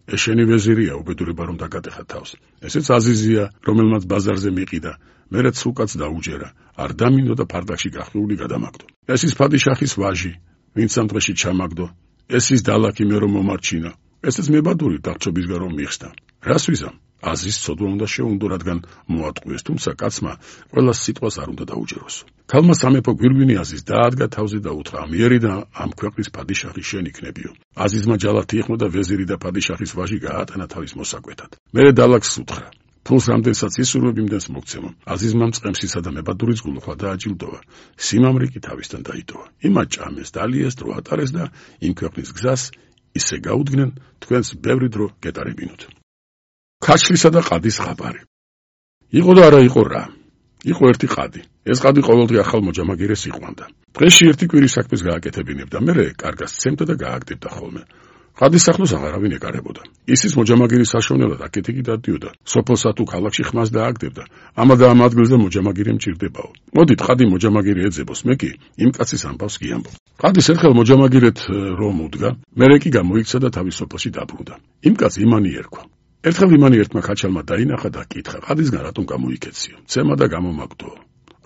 ეს შენი ვეზირია, უბედურება რომ დაგატეხა თავს. ესეც აზიზია, რომელმაც ბაზარზე მიყიდა. მერეც უკაც დაუჯერა. არ დამინდო და ფარდაკში გახვრული გადამაგდო. ეს ის ფადიშახის ვაჟი, ვინც ამ დღეში ჩამაგდო. ეს ის დალაქი მე რომ მომარჩინა. ესეც მებადური დარჩობისგან რომ მიხსნა. რას ვიზამ? აზის ცოდვა უნდა შეუნდო, რადგან მოატყუეს, თუმცა კაცმა ყველას სიტყვას არ უნდა დაუჯეროს. ქალმა სამეფო გვირგვინი აზის დაადგა თავზე და უთხრა: ამიერი და ამ ქვეყნის ფადიშახი შენ იქნებიო. აზიზმა ჯალათი იხმო და ვეზირი და ფადიშახის ვაჟი გაატანა თავის მოსაკვეთად. მერე დალაქს უთხრა: ფულს რამდენსაც ისურვებ, იმდენს მოგცემო. აზიზმა მწყემსისა და მებადურის გულუხლა დააჯილდოვა. სიმამრი კი თავისთან დაიტოვა. იმათ ჭამეს, დალიეს, დრო ატარეს და იმ ქვეყნის გზას ისე გაუდგნენ, თქვენს ბევრი დრო გეტარებინოთ. ქაჩლისა და ყადის ხაბარი. იყო და არა იყო რა. იყო ერთი ყადი. ეს ყადი ყოველდღე ახალ მოჯამაგირეს იყვანდა. დღეში ერთი კვირის საქმეს გააკეთებინებდა, მერე კარგას ცემდა და გააგდებდა ხოლმე. ყადის სახლოს აღარავინ ეკარებოდა. ისის მოჯამაგირის საშოვნელად აქეთ-იქით დადიოდა. სოფელსა თუ ქალაქში ხმას დააგდებდა. ამა და ამ ადგილზე მოჯამაგირი მჭირდებაო. მოდით ყადი მოჯამაგირი ეძებოს, მე კი იმ კაცის ამბავს გიამბობ. ყადის ერთხელ მოჯამაგირეთ რომ უდგა, მერე კი გამოიქცა და თავის სოფელში დაბრუნდა. იმ კაცს იმანი ერქვა. ერთხელ იმანი ერთმა ქაჩალმა დაინახა და კითხა: ყადისგან რატომ გამოიქეციო? ცემა და გამომაგდო.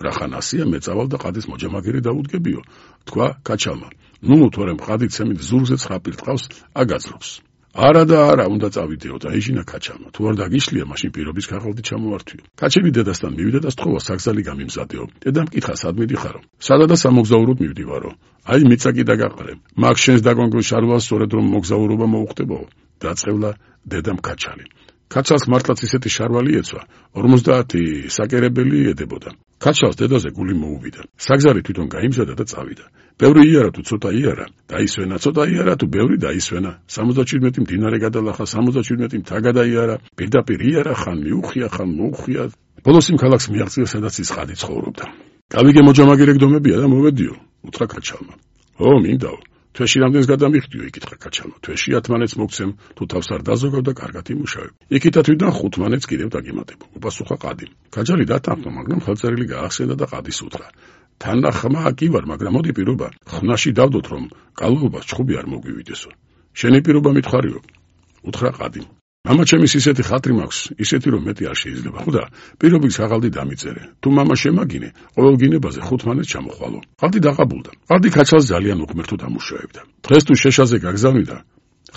რახანასია მეწავალ და ყადის მოჯამაგირი დაუდგებიო. თქვა ქაჩალმა: ნუ თორემ ყადი ცემით ზურგზე ცხაპილ ტყავს აგაძრობს. არა და არა, უნდა წავიდეო და ეჟინა ქაჩალმა. თუ არ დაგიშლია, მაშინ პირობის ქაღალდი ჩამოვართვიო. ქაჩელი დედასთან მივიდა და სთხოვა საგზალი გამიმზადეო. დედამ კითხა: სად მიდიხარო? სადა და სამოგზაუროდ მივდივარო. აი მიწა კი დაგაყარე. მაგ შენს დაგონგრულ შარვალს სწორედ რომ მოგზაურობა მოუხდებაო. დაწყევლა დედამ ქაჩალი. ქაჩალს მართლაც ისეთი შარვალი ეცვა, ორმოცდაათი საკერებელი ედებოდა. ქაჩალს დედაზე გული მოუვიდა. საგზარი თვითონ გაიმზადა და წავიდა. ბევრი იარა თუ ცოტა იარა, დაისვენა, ცოტა იარა თუ ბევრი დაისვენა. სამოცდაჩვიდმეტი მდინარე გადალახა, სამოცდაჩვიდმეტი მთა გადაიარა, პირდაპირ იარა, ხან მიუხია, ხან მოუხია. ბოლოს იმ ქალაქს მიაღწია, სადაც ის ყადი ცხოვრობდა. გავიგე მოჯამაგირე გდომებია და მოვედიო, უთხრა ქაჩალმა. ო, მინდაო. თვეში რამდენს გადამიხდიო, იკითხა ქაჩალმა. თვეში ათმანეთს მოგცემ, თუ თავს არ დაზოგავ და კარგად იმუშავებ. იქითა თვითონ ხუთმანეთს კიდევ დაგემატებო. უპასუხა ყადიმ. ქაჯალი დათანხმა, მაგრამ ხელწერილი გაახსენდა და ყადის უთხრა: თანახმა კი ვარ, მაგრამ მოდი პირობა, ხნაში დავდოთ, რომ კალოობას ჩხუბი არ მოგვივიდესო. შენი პირობა მითხარიო, უთხრა ყადიმ. მამა ჩემის ისეთი ხატრი მაქვს, ისეთი რომ მეტი არ შეიძლება. ხოდა პირობის ქაღალდი დამიწერე. თუ მამა შემაგინე, ყოველ გინებაზე ხუთმანეთს ჩამოხვალო. ყადი დაღაბულდა. ყადი ქაჩალს ძალიან უღმერთოდ ამუშავებდა. დღეს თუ შეშაზე გაგზავნიდა,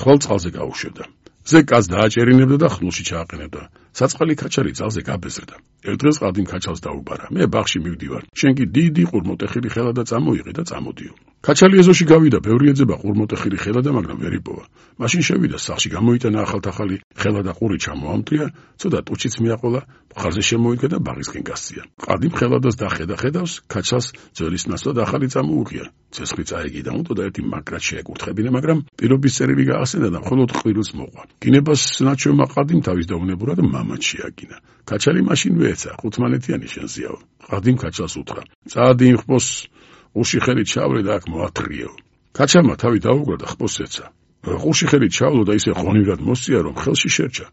ხვალ წყალზე გაუშვებდა. ზე კაც დააჭერინებდა და ხნულში ჩააყენებდა. საწყალი ქაჩალი ძალზე გაბეზრდა. ერთ დღეს ყადიმ ქაჩალს დაუბარა: მე ბაღში მივდივარ. შენ კი დიდი ყურმოტეხილი ხელა და წამოიღე და წამოდიო. ქაჩალი ეზოში გავიდა, ბევრი ეძება ყურმოტეხილი ხელა და მაგრამ ვერ იპოვა. მაშინ შევიდა სახლში, გამოიტანა ახალთახალი ხელა და ყური ჩამოამტრია, ცოტა ტუჩიც მიაყოლა, მხარზე შემოიდგა და ბაღისკენ გასწია. ყადიმ ხელადას დახედა ხედავს, ქაჩალს ძვლის ნაცვლად ახალი წამოუღია. ცეცხლი წაეგი და უნდა და ერთი მაგრად შეეკურთხებინა, მაგრამ პირობის წერილი გაახსენდა და მხოლოდ ყვირილს მოყვა. გინებას ნაჩვენმა ყადიმ თავის დაუნებურა და მამაც შეაგინა. ქაჩალი მაშინ ვეეცა, ხუთმანეთიანი შენზიაო. ყადიმ ქაჩალს უთხრა: წადი იმ ხბოს ყურში ხელით ჩავლე და აქ მოათრიეო. ქაჩალმა თავი დაუგრა და ხბოს ეცა. ყურში ხელით ჩავლო და ისე ღონივრად მოსწია, რომ ხელში შერჩა.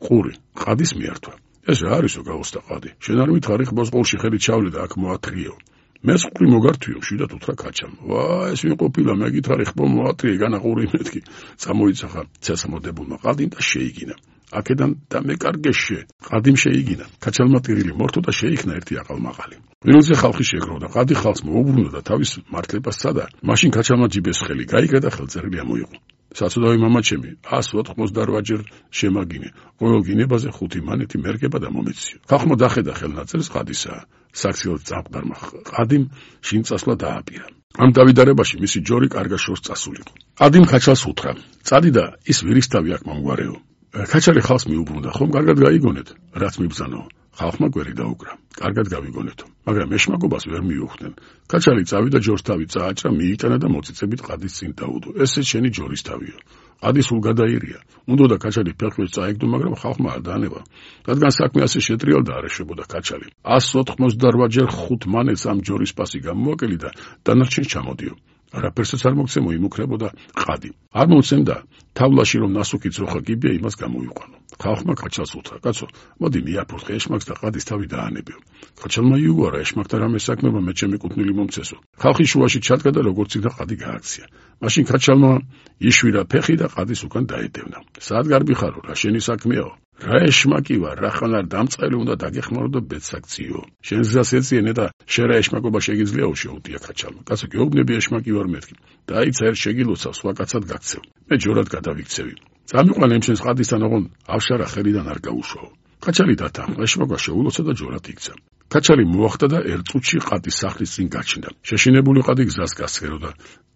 ყური ყადის მიართვა. ეს რა არისო, გაუსთა ყადი. შენ არ მითხარი ხბოს ყურში ხელით ჩავლე და აქ მოათრიეო. მეს ყური მოგართვიო, მშვიდად უთხრა ქაჩალმა. ვა, ეს ვინ ყოფილა, მე გითხარი ხბო მოათრიე, განა ყური მეთქი. წამოიცახა ცეცხლმოდებულმა ყადიმ და შეიგინა. აქედან და მეკარგეშე ყადიმ შეიგინა. ქაჩალმა ტირილი მორთო და შეიქმნა ერთი აყალმაყალი. ყვირილზე ხალხი შეგროვდა, ყადი ხალხს მოუბრუნდა და თავის მართლებას სცადა. მაშინ ქაჩალმა ჯიბეს ხელი გაიგა და ხელწერილი ამოიღო. საცუდავი მამაჩემი, ას ოთხმოცდაოთხ შემაგინე, ყოველ გინებაზე ხუთი მანეთი მერგება და მომეციო. ხალხმა დახედა ხელნაწერს ყადისა. საქციელად წამყდარმა ყადიმ შინ წასვლა დააპირა. ამ დავიდარებაში მისი ჯორი კარგად შორს წასულიყო. ყადიმ ქაჩალს უთხრა: წადი და ის ვირისთავი აქ მომგვარეო. ქაჩალი ხალხს მიუბრუნდა, ხომ კარგად გაიგონეთ, რაც მიბრძანო. ხალხმა გვერი დაუკრა. კარგად გავიგონეთო, მაგრამ ეშმაკობას ვერ მიუხვდნენ. კაჩალი წავიდა ჯორს თავი წააჭრა, მიიტანა და მოწიწებით ყადის წინ დაუდო. ესე შენი ჯორის თავიო. ყადი სულ გადაირია. უნდოდა კაჩალი ფეხებს წაეგდო, მაგრამ ხალხმა არ დაანება. რადგან საქმე ასე შეტრიალდა არ ეშებოდა კაჩალი. εκατს ოთხმოცდაოთხ ჯერ ხუთ მანეთს ამ ჯორის პასი გამოაკელი და დანარჩენს ჩამოდიო. არაფერსაც არ მოგცემ მოიმუქრებოდა ყადი. არ მომცემდა თავლაში რომ ნასუქი ძროხა გიბია იმას გამოიყვანო. ხალხმა კაჩალს უთხრა, კაცო, მოდი მიაფურთხე ეშმაკს და ყადის თავი დაანებიო. კაჩალმა იუარა ეშმაკთან რამე საქმეობა მე ჩემი კუთვნილი მომცესო. ხალხი შუაში ჩადგა და როგორც იქნა ყადი გააქცია. მაშინ კაჩალმა იშვირა ფეხი და ყადის უკან დაედევნა. სად გარბიხარო, რა შენი საქმეაო? რა ეშმაკი ვარ, რახან არ დამწყელი უნდა დაგეხმარო და ბედსაქციო. შენ გზას ეწიენე და შენ რა ეშმაკობა შეგიძლიაო, შეუტია კაჩალმა. კაცო, გეუბნები ეშმაკი ვარ მეთქი. დაიცა ერთ შეგილოცავ, სხვა კაცად გაქცევ. მე ჯორად გადავიქცევი. წამიყვან ამ შენს ყადისთან ოღონ ავშარა ხელიდან არ გაუშვაო. კაჩალი დათანხმა, ეშმაკმა შეულოცა და ჯორად იქცა. კაჩალი მოახდა და ერთ წუთში ყადის სახლის წინ გაჩნდა. შეშინებული ყადი გზას გასცეროდა.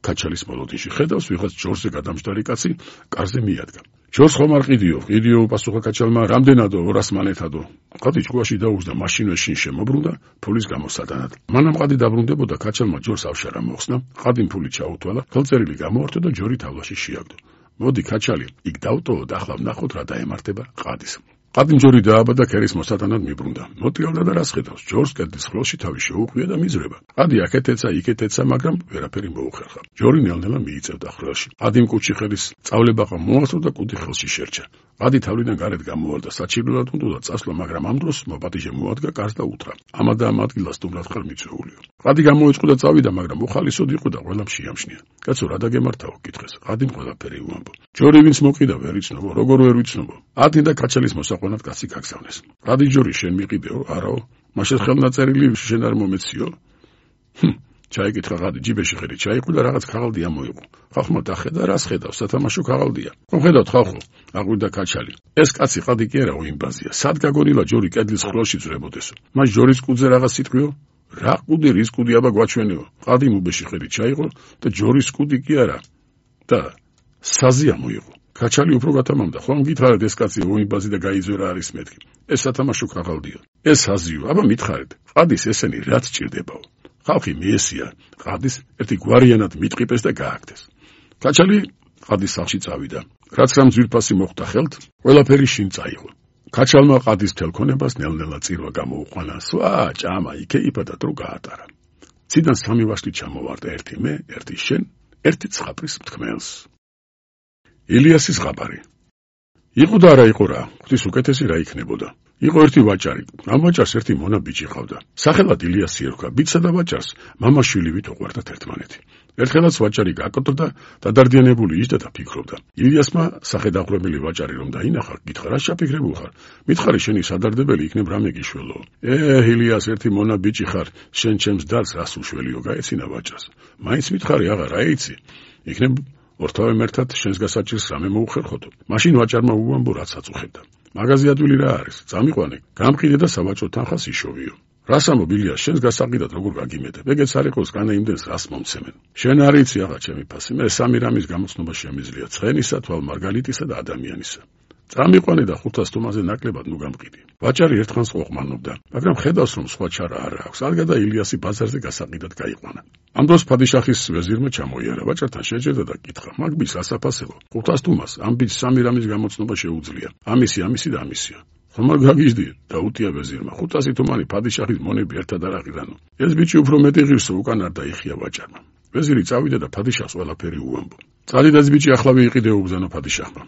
კაჩალის მოლოდინში ხედავს ვიღაც ჯორზე გადამჯდარი კაცი კარზე მიადგა. ჯორს ხომ არ ყიდიო, ყიდიო პასუხა კაჩალმა, რამდენადო ორას მანეთადო. ყადი ჭკუაში დაუხსდა, მაშინვე შინ შემობრუნდა ფულის გამოსატანად. მანამ ყადი დაბრუნდებოდა, კაჩალმა ჯორს ავშარა მოხსნა, ყადიმ ფული ჩაუთვალა, ხელწერილი გამოართო და ჯორი თავლაში შეაგდო. მოდი კაჩალი, იქ დავტოვო და ახლა ვნახოთ რა დაემართება ყადის. ყადიმ ჯორი დააბადა ქერის მოსატანად მიბრუნდა. მოტრიალდა და რას ხედავს, ჯორს კედლის ხელში თავი შეუყვია და მიზრება. ყადი აქეთ ეცა, იქეთ ეცა, მაგრამ ვერაფერი მოუხერხა. ჯორი ნელ-ნელა მიიწევდა ხელში. ყადიმ კუჩი ხელის წავლებაყა მოასწრო და კუდი ხელში შერჩა. ყადი თავლიდან გარეთ გამოვალდა, საჩიბრულად უნდა წასვლა, მაგრამ ამ დროს მოპატიჟე მოადგა კარს და უთხრა: ამა და ამ ადგილას სტუმრად ხარ მიწვეულიო. ყადი გამოიწყო და წავიდა, მაგრამ უხალისოდ იყო და ყველამ შეამშნია. კაცო, რა დაგემართაო, კითხეს. ყადიმ ყველაფერი უამბო. ჯორი ვინც მოკიდა ვერ იცნობო, როგორ ვერ ვიცნობო. ათი და კაჩალის მოსაყვანად კაცი გაგზავნეს. ყადი ჯორი შენ მიყიდეო, არაო, მაშინ ხელნაწერილი შენ არ მომეციო. ჰმ, ჩაიკითხა ყადი, ჯიბეში ხერი ჩაიყო და რაღაც ქაღალდია მოიყო. ხალხმა დახედა, რას ხედავს, სათამაშო ქაღალდია. ხომ ხედავთ ხალხო, აღვირდა კაჩალი. ეს კაცი ყადი კი არა, უიმბაზია. სად გაგონილა ჯორი კედლის ხელში ძრებოდესო. მას ჯორის კუდზე რაღაც სიტყვიო? რა კუდი, რის კუდი აბა გვაჩვენეო. ყადი მუბეში ხერი ჩაიყო და ჯორის კუდი კი არა. და საზია მოიყო. კაჩალი უფრო გათამამდა, ხომ გითხარით ეს კაცი უიმბაზი და გაიძვერა არის მეთქი. ეს სათამაშო ქაღალდია. ეს საზიო, აბა მითხარით, ყადის ესენი რაც ჭირდებაო. ხალხი მიესია, ყადის ერთი გვარიანად მიტყიპეს და გააკდეს. კაჩალი ყადის სახლში წავიდა. რაც რამ ძვირფასი მოხდა ხელთ, ყველაფერი შინ წაიღო. კაჩალმა ყადის თელქონებას ნელ-ნელა წირვა გამოუყვანა, სვა ჭამა იქეიფა და დრო გაატარა. ციდან სამი ვაშლი ჩამოვარდა, ერთი მე, ერთი შენ, ერთი ცხაპრის მთქმელს. ილიასის ზღაპარი. იყო და არა იყო რა, ღვთის უკეთესი რა იქნებოდა. იყო ერთი ვაჭარი, ამ ვაჭარს ერთი მონა ბიჭი ყავდა. სახელად ილიასი ერქვა, ბიჭსა და ვაჭარს მამაშვილივით უყვარდათ ერთმანეთი. ერთხელაც ვაჭარი გაკოტრდა, დადარდიანებული იჯდა და ფიქრობდა. ილიასმა სახედაღვრემელი ვაჭარი რომ დაინახა, გითხრა რა შაფიქრებულ ხარ? მითხარი შენი სადარდებელი იქნებ რამე გიშველო. ე ილიას ერთი მონა ბიჭი ხარ, შენ ჩემს დარს რას უშველიო, გაეცინა ვაჭარს. მაინც მითხარი აღარ რა იცი? იქნებ ორთავე მერთად შენს გასაჭირს რამე მოუხერხოდო. მაშინ ვაჭარმა უამბო რაც აწუხებდა. მაღაზი ადვილი რა არის? წამიყვანე, გამყიდე და სავაჭრო თანხას იშოვიო. რას ამბობ ილიას, შენს გასაყიდად როგორ გაგიმედებ? ეგეც არ იყოს განა იმდენს რას მომცემენ. შენ არ იცი აღა ჩემი ფასი, მე სამი რამის გამოცნობა შემიძლია: ცხენისა, თვალმარგალიტისა და ადამიანისა. წამიყვანე და ხუთას თომაზე ნაკლებად ნუ გამყიდი. ვაჭარი ერთხანს ყოყმანობდა, მაგრამ ხედავს რომ სხვა ჩარა არ აქვს. არგადა ილიასი ბაზარზე გასაყიდად გაიყვანა. ამ დროს ფადიშახის ვეზირმა ჩამოიარა, ვაჭართან შეჯერდა და კითხა: მაგ ბიჭს რას აფასებო? ხუთას თომას, ამ ბიჭს სამი რამის გამოცნობა შეუძლია. ამისი, ამისი და ამისია. ხომ არ გაგიჟდი? დაუტია ვეზირმა. ხუთასი თომანი ფადიშახის მონები ერთად არ აღირანო. ეს ბიჭი უფრო მეტი ღირსო უკან არ დაიხია ვაჭარმა. ვეზირი წავიდა და ფადიშახს ყველაფერი უამბო. წადიდა ეს ბიჭი ახლავე იყიდეო უბრძანო ფადიშახმა.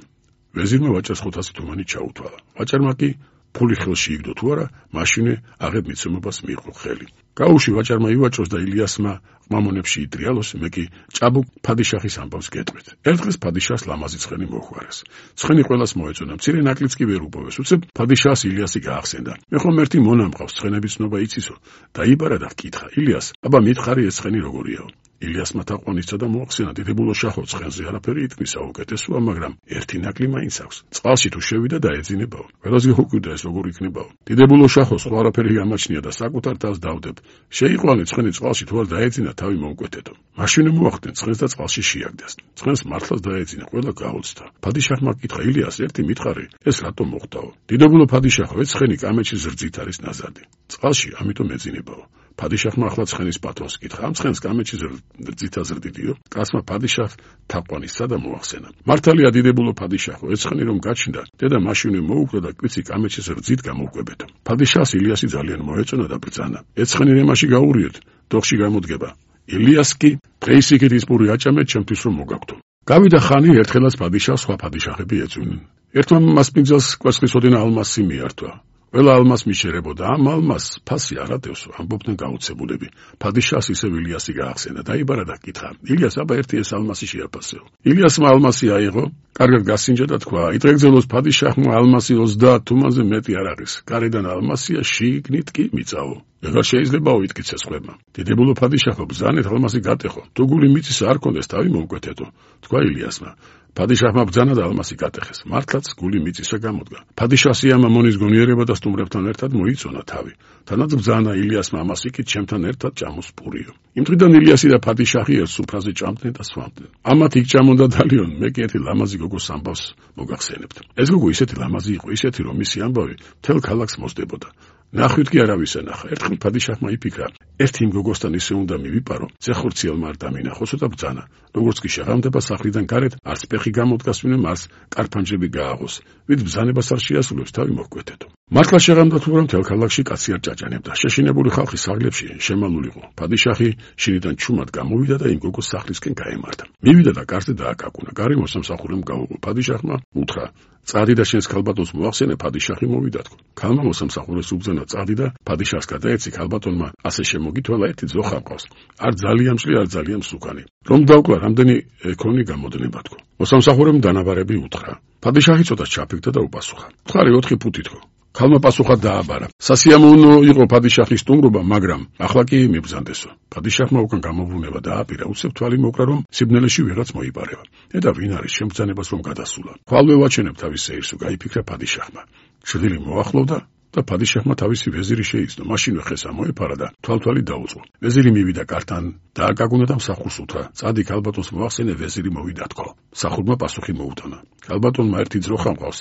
ვეზირმა ვაჭარს ხუთასი თომანი ჩაუთვალა. ვაჭარმა კი ფული ხელში იგდო თუ არა, მაშინვე აღებ მიცემობას მიიღო ხელი. გაუში ვაჭარმა ივაჭროს და ილიასმა ყმამონებში იტრიალოს, მე კი ჭაბუკ ფადიშახის ამბავს გეტყვით. ერთ დღეს ფადიშახს ლამაზი ცხენი მოხვარეს. ცხენი ყველას მოეწონა, მცირე ნაკლიც კი ვერ უპოვეს. უცებ ფადიშახს ილიასი გაახსენდა. მე ხომ ერთი მონა მყავს, ცხენების ცნობა იცისო. დაიბარა და ჰკითხა: ილიას, აბა მითხარი ეს ცხენი როგორიაო? ილიასმა თაყვანისცა და მოახსენა დიდებულო შაჰო ცხენზე არაფერი იტკნისა უკეთესოა, მაგრამ ერთი ნაკლი მაინც აქვს. წყალში თუ შევიდა დაეძინებაო. ყველას გეუკვირდა ეს როგორ იქნებაო. დიდებულო შაჰო სხვა არაფერი გამაჩნია და საკუთარ თავს დავდებ. შეიყვანე ცხენი წყალში თუ არ დაეძინა თავი მოუკვეთეთო. მაშინ მოახდნენ ცხენს და წყალში შეაგდეს. ცხენს მართლაც დაეძინა, ყველა გაოცდა. ფადიშაჰმა კითხა ილიას ერთი მითხარი, ეს რატომ მოხდაო? დიდებულო ფადიშაჰო, ეს ცხენი კამეჩის რძით არის ნაზარდი. წყალში ამიტომ ეძინებაო. ფადიშაჰმა ახლა ცხენის პატრონს კითხა, ამ ცხენს კამეჩის რძით აზრდიდიო? კაცმა ფადიშაჰ თაყვანისცა და მოახსენა. მართალია დიდებულო ფადიშაჰო, ეს ცხენი რომ გაჩნდა, დედა მაშინვე მოუკვდა და კვიცი კამეჩის რძით გამოუკვებეთო. ფადიშაჰს ილიასი ძალიან მოეწონა და ბრძანა. ეს ცხენი რემაში გაურიოთ, დოხში გამოდგება. ილიას კი დღეის იქით ის პური აჭამეთ ჩემთვის რომ მოგაგთო. გავიდა ხანი ერთხელაც ფადიშაჰს სხვა ფადიშაჰები ეწვნენ. ერთმა მასპინძელს კვერცხისოდენა ალმასი მიართვა. ყველა ალმას მიშერებოდა, ამ ალმას ფასი არ ადევსო, ამბობდნენ გაუცებულები. ფადიშაჰს ისევ ილიასი გაახსენა, დაიბარა და კითხა, ილიას, აბა ერთი ეს ალმასი შეაფასეო. ილიასმა ალმასი აიღო, კარგად გასინჯა და თქვა, იტყეგზელოს ფადიშაჰმა ალმასი ოცდაათ თუმანზე მეტი არ არის. გარედან ალმასია, შიგნით კი მიწაო. ეგარ შეიძლებაო იტკიცეს ხვებმა. დიდებულო ფადიშაჰო, ბრძანეთ ალმასი გატეხო. თუ გული მიწის არ კონდეს, თავი მოუკვეთეთო, თქვა ილიასმა. ფადიშაჰმა ბრძანა და ალმასი გატეხეს. მართლაც გული მიწისა გამოდგა. ფადიშაჰს ამ ამონის გონიერება და სტუმრებთან ერთად მოიწონა თავი. თანაც ბრძანა ილიასმა ამას იქით ჩემთან ერთად ჭამოს პურიო. იმ დღიდან ილიასი და ფადიშაჰი ერთ სუფრაზე ჭამდნენ და სვამდნენ. ამათ იქ ჭამონდა დალიონ, მე კი ერთი ლამაზი გოგოს ამბავს მოგახსენებთ. ეს გოგო ისეთი ლამაზი იყო, ისეთი რომ მისი ამბავი მთელ ქალაქს მოსდებოდა. ნახვით კი არავის ენახა. ერთხელ ფადიშაჰმა იფიქრა, ერთი იმ გოგოსთან ისე უნდა მივიპარო, ზეხორციელმა არ დამინახოსო და ბრძანა. როგორც კი შეღამდება სახლიდან გარეთ, არც ფეხი გამოდგას, ვინმე მას კარფანჯები გააღოს. ვით ბრძანებას არ შეასრულებს, თავი მოჰკვეთეთო. მართლა შეღამდა თუ რომ მთელ ქალაქში კაცი არ ჭაჭანებდა. შეშინებული ხალხი სახლებში შემალულიყო. ფადიშაჰი შინიდან ჩუმად გამოვიდა და იმ გოგოს სახლისკენ გაემართა. მივიდა და კარზე დააკაკუნა. გარი მოსამსახურემ გაუღო. ფადიშაჰმა უთხრა, წადი და შენს ქალბატონს მოახსენე, ფადიშაჰი მოვიდათქო. ქალმა მოსამსახურეს უბრძანა წადი და ფადიშაჰს გადაეცი, ქალბატონმა ასე შემოგითვალა, ერთი ძოხა მყავს. არ ძალიან მჭლი, არ ძალიან მსუქანი. რომ დავკლა, რამდენი ეკონი გამოდნება თქო. მოსამსახურემ დანაბარები უთხრა. ფადიშაჰი ცოტა ჩაფიქდა და უპასუხა. ხარი ოთხი ფუტი თქო. ქალმა პასუხად დააბარა. სასიამოვნო იყო ფადიშაჰის სტუმრობა, მაგრამ ახლა კი მიბრძანდესო. ფადიშაჰმა უკან გამობრუნება დააპირა, უცებ თვალი მოკრა, რომ სიბნელეში ვიღაც მოიპარება. ედა ვინ არის შემბრძანებას რომ გადასულა. ხვალვე ვაჩენებ თავის სეირსო, გაიფიქრა ფადიშაჰმა. შვილი მოახლოვდა და ფადიშაჰმა თავისი ვეზირი შეიცნო. მაშინვე ხეს ამოეფარა და თვალთვალი დაუწყო. ვეზირი მივიდა კართან, დააკაკუნა და მსახურს უთხრა, წადი ქალბატონს მოახსენე, ვეზირი მოვიდა თქო. მსახურმა პასუხი მოუტანა. ქალბატონმა ერთი ძროხა მყავს.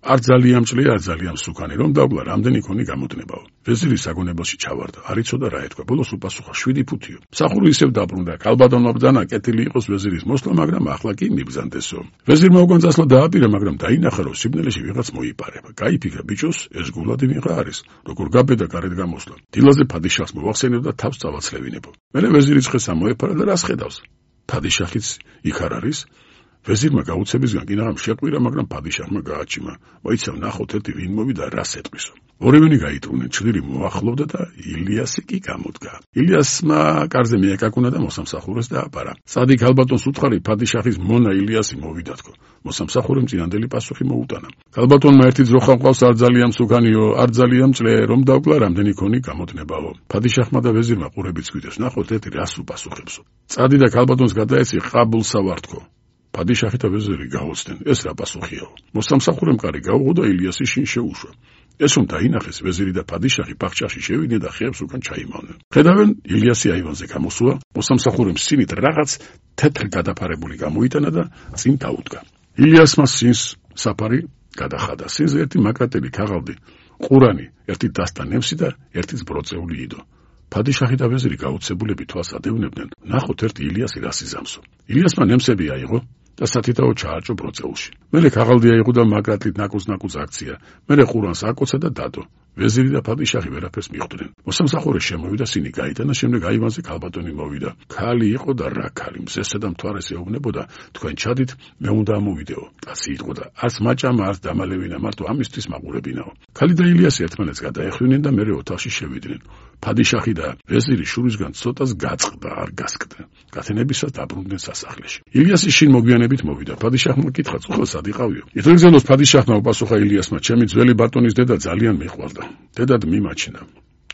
არ ძალიან მჭლი, არ ძალიან მსუქანი, რომ დავკლა, რამდენი ქონი გამოდნებაო. ვეზირი საგონებელში ჩავარდა, არ იცოდა რა ეთქვა. ბოლოს უპასუხა, შვიდი ფუთიო. მსახური ისევ დაბრუნდა. ქალბატონმა ბრძანა, კეთილი იყოს ვეზირის მოსვლა, მაგრამ ახლა კი მიბრძანდესო. ვეზირმა უკან წასვლა დააპირა, მაგრამ დაინახა, რომ სიბნელეში ვიღაც მოიპარება. გაიფიქრა, ბიჭოს ეს გულადი ვიღა არის, როგორ გაბედა გარეთ გამოსვლა. დილაზე ფადიშაჰს მოახსენებდა, თავს წავაცლევინებო. მერე ვეზირი ცხეს ამოეფარა და რას ხედავს? ფადიშაჰიც იქ არ არის? ვეზირმა გაუცებისგან კინაღამ შეყვირა, მაგრამ ფადიშაჰმა გააჩიმა. მოიცავ ნახოთ ერთი ვინ მოვიდა რას ეტყვისო. ორივენი გაიტრუნენ, ჩრდილი მოახლოვდა და ილიასი კი გამოდგა. ილიასმა კარზე მიეკაკუნა და მოსამსახურეს დააბარა. წადი ქალბატონს უთხარი, ფადიშაჰის მონა ილიასი მოვიდა თქო. მოსამსახურემ წინანდელი პასუხი მოუტანა. ქალბატონმა ერთი ძროხა მყავს, არ ძალიან მსუქანიო, არ ძალიან მჭლე, რომ დავკლა, რამდენი ქონი გამოდნებაო. ფადიშაჰმა და ვეზირმა ყურებით გვიდეს, ნახოთ ერთი რას უპასუხებსო. წადი და ქალბატონს გადაეცი, ყაბულსა ვარ თქო. ფადიშაჰი და ვეზირი გაოცდნენ, ეს რა პასუხიაო. მოსამსახურემ კარი გაუღო და ილიასი შინ შეუშვა. ეს რომ დაინახეს, ვეზირი და ფადიშაჰი ბაღჩაში შევიდნენ და ხეებს უკან ჩაიმალნენ. ხედავენ, ილიასი აივანზე გამოსულა, მოსამსახურემ სინით რაღაც თეთრ გადაფარებული გამოიტანა და წინ დაუდგა. ილიასმა სინს საფარი გადახადა. სინზე ერთი მაკრატელი ქაღალდი, ყურანი, ერთი დასტა ნემსი და ერთი ბროწეული იდო. ფადიშაჰი და ვეზირი გაუცებულები თვალს ადევნებდნენ, ნახოთ ერთი ილიასი რას იზამსო. ილიასმა ნემსები აიღო და სათითაო ჩაარჭო ბროწეულში. მერე ქაღალდი აიღო და მაკრატლით ნაკუც-ნაკუც აქცია. მერე ყურანს აკოცა და დადო. ვეზირი და ფადიშაჰი ვერაფერს მიხვდნენ. მოსამსახურე შემოვიდა, სინი გაიტანა, შემდეგ აივანზე ქალბატონი მოვიდა. ქალი იყო და რა ქალი, მზესა და მთვარეს ეუბნებოდა, თქვენ ჩადით, მე უნდა ამოვიდეო. კაცი იყო და არც მაჭამა, არც დამალევინა, მარტო ამისთვის მაყურებინაო. ქალი და ილიასი ერთმანეთს გადაეხვინენ და მერე ოთახში შევიდნენ. ფადიშაჰი და ვეზირი შურისგან ცოტას გაწყდა, არ გასკდნენ. გათენებისას დაბრუნდნენ სასახლეში. ილიასი შინ მოგვიანებით მოვიდა. ფადიშაჰმა კითხა, უხლა სად იყავიო? ითრეგზელოს ფადიშაჰმა უპასუხა ილიასმა, ჩემი ძველი ბატონის დედა ძალიან მიყვარდა. დედად მიმაჩნდა.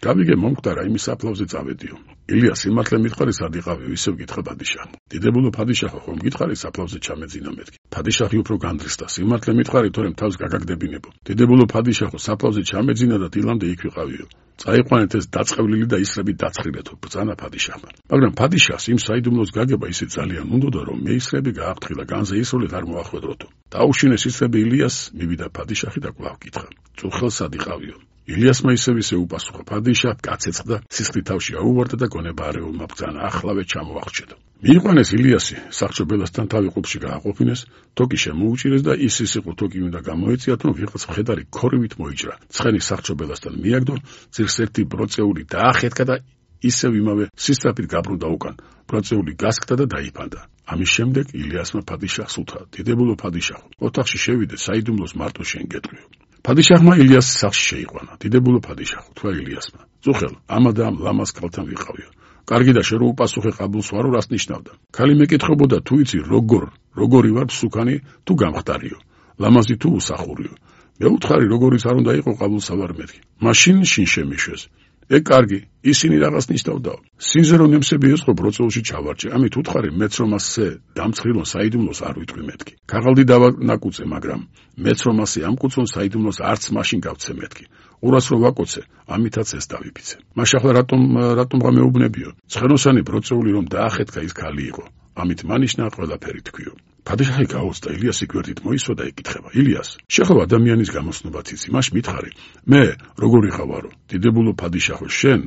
დავიგე მომკვდარა იმის საფლავზე წავედიო. ილიას სიმართლე მითხარი სად იყავი, ისევ გითხრა პადიშაჰმა. დიდებულო პადიშაჰო, ხომ გითხარი საფლავზე ჩამეძინა მეთქი. პადიშაჰი უფრო განდრისდა, სიმართლე მითხარი, თორემ თავს გაგაგდებინებო. დიდებულო პადიშაჰო, საფლავზე ჩამეძინა და დილამდე იქ ვიყავიო. წაიყვანეთ ეს დაწყევლილი და ისრები დაცხრილეთო, ბრძანა პადიშაჰმა. მაგრამ პადიშაჰს იმ საიდუმლოს გაგება ისე ძალიან უნდოდა, რომ მე ისრები გააფრთხილა, განზე ისროლით არ მოახვედროთო. დაუშინეს ისრები ილიას, მივიდა პადიშაჰი და კვლავ კითხა. წუხელს სად იყავიო? ილიასმა ისევ ისე უპასუხა. პადიშაჰ გაცეცხლდა, სისხლით თავში აუვარდა და გონება არეულმა ბრძანა ახლავე ჩამოახრჩედო. მიიყვანეს ილიასი, სახრჩობელასთან თავი ყუბში გააყოფინეს, თოკი შემოუჭირეს და ის ის იყო თოკი უნდა გამოეციათ, რომ ვიღაც მხედარი ქორივით მოიჭრა. ცხენი სახრჩობელასთან მიაგდო, ძირს ერთი ბროწეული დაახეთქა და ისევ იმავე სისწრაფით გაბრუნდა უკან. ბროწეული გასკდა და დაიფანდა. ამის შემდეგ ილიასმა პადიშაჰს უთხრა: დიდებულო პადიშაჰო, ოთახში შევიდე, საიდუმლოს მარტო შენ გეტყვიო. პადიშაჰმა ილიას სახლში შეიყვანა. დიდებულო პადიშაჰო, თქვა ილიასმა: წუხელ, ამა და ამ ლამაზ ქალთან ვიყავიო. კარგი და შე რო უპასუხე ყაბულს ვარო, რას ნიშნავდა? ქალი მეკითხებოდა თუ იცი როგორ, როგორი ვარ მსუქანი თუ გამხდარიო, ლამაზი თუ უსახურიო. მე უთხარი როგორიც არ უნდა იყო ყაბულსავარ მეთქი. მაშინ შინ შემიშვეს. ე კარგი, ისინი რაღაც ნიშნავდაო. სინზე რომ ნემსები ესყო ბროწეულში ჩავარჭე, ამით უთხარი მეც რომ ასე დამცხრილონ საიდუმლოს არ ვიტყვი მეთქი. ქაღალდი დავანაკუწე, მაგრამ მეც რომ ასე ამკუწონ საიდუმლოს არც მაშინ გავცე მეთქი. ყურას რო ვაკოცე, ამითაც ეს დავიფიცე. მაშახლა რატომ რატომღა მეუბნებიო? ცხენოსანი ბროწეული რომ დაახეთქა ის ქალი იყო. ამით მანიშნა ყველაფერი თქვიო. პადიშაჰი გაუწდა ილიასი გვერდით მოისვა და ეკითხება: ილიას, შეხო ადამიანის გამოსნობაც იცი, მაშ მითხარი, მე როგორი ხავარო? დიდებულო პადიშაჰო, შენ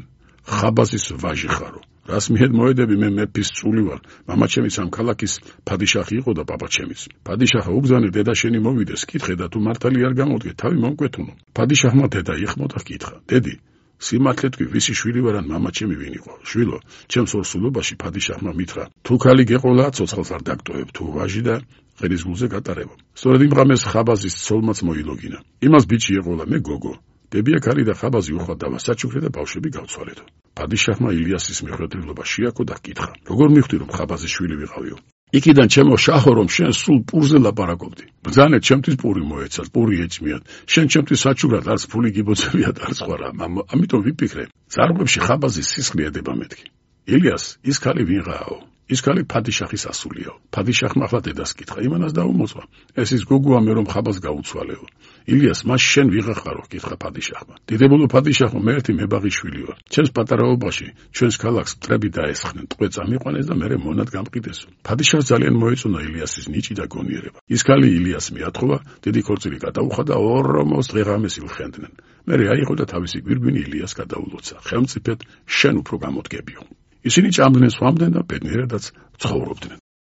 ხაბაზის ვაჟი ხარო. რას მიედ მოედები, მე მეფის წული ვარ. მამაჩემიც ამ ქალაქის პადიშაჰი იყო და პაპაჩემიც. პადიშაჰა უბზანი დედა შენი მოვიდეს, კითხე და თუ მართალი არ გამოდგე, თავი მომკვეთუნო. პადიშაჰმა დედა იხმოდა, კითხა: დედი, სიმართლე თქვი, ვისი შვილი ვარ ან მამაჩემი ვინ იყო? შვილო, ჩემს ორსულობაში პადიშაჰმა მითხრა: თუ ქალი გეყოლა, ცოცხალს არ დაგტოვებ, თუ ვაჟი და ღერის გულზე გატარებო. სწორედ იმ ღამეს ხაბაზის ცოლმაც მოილოგინა. იმას ბიჭი ეყოლა, მე გოგო. დებია ქალი და ხაბაზი უხვად დავასაჩუქრე და ბავშვები გავცვალეთო. პადიშაჰმა ილიასის მიხვედრილობა შეაქო და კითხა: როგორ მივხვდი რომ ხაბაზის შვილი ვიყავიო? იქიდან ჩემო შაჰო, რომ შენ სულ პურზე ლაპარაკობდი. ბრძანე, ჩემთვის პური მოეცათ, პური ეჭმიათ. შენ ჩემთვის საჩუქრად არც ფული გიბოძებიათ, არც სხვა რა. ამიტომ ვიფიქრე, ძარღვებში ხაბაზის სისხლი ედება მეთქი. ილიას, ის ქალი ვინღააო? ის ქალი პადიშაჰის ასულიაო. პადიშაჰმა ახლა დედას კითხა, იმანას დაუმოწვა. ეს ის გოგოა, მე რომ ხაბაზს გაუცვალეო. ილიას, მას შენ ვიღახარო? კითხა პადიშაჰმა. დიდებულო პადიშაჰო, მე ერთი მებაღი შვილი ვარ. ჩემს პატარაობაში ჩვენს ქალაქს მტრები დაესხნენ, ტყვე წამიყვანეს და მე მონად გამყიდესო. პადიშაჰს ძალიან მოეწონა ილიასის ნიჭი და გონიერება. ის ქალი ილიას მიათხოვა, დიდი ქორწილი გადაუხა და ორმოს დღეღამეს ილხენდნენ. მე აიღო და თავისი გვირგვინი ილიას გადაულოცა. ხელმწიფედ შენ უფრო გამოდგებიო. ისინი ჭამდნენ, სვამდნენ და ბედნიერადაც ცხოვრობდნენ.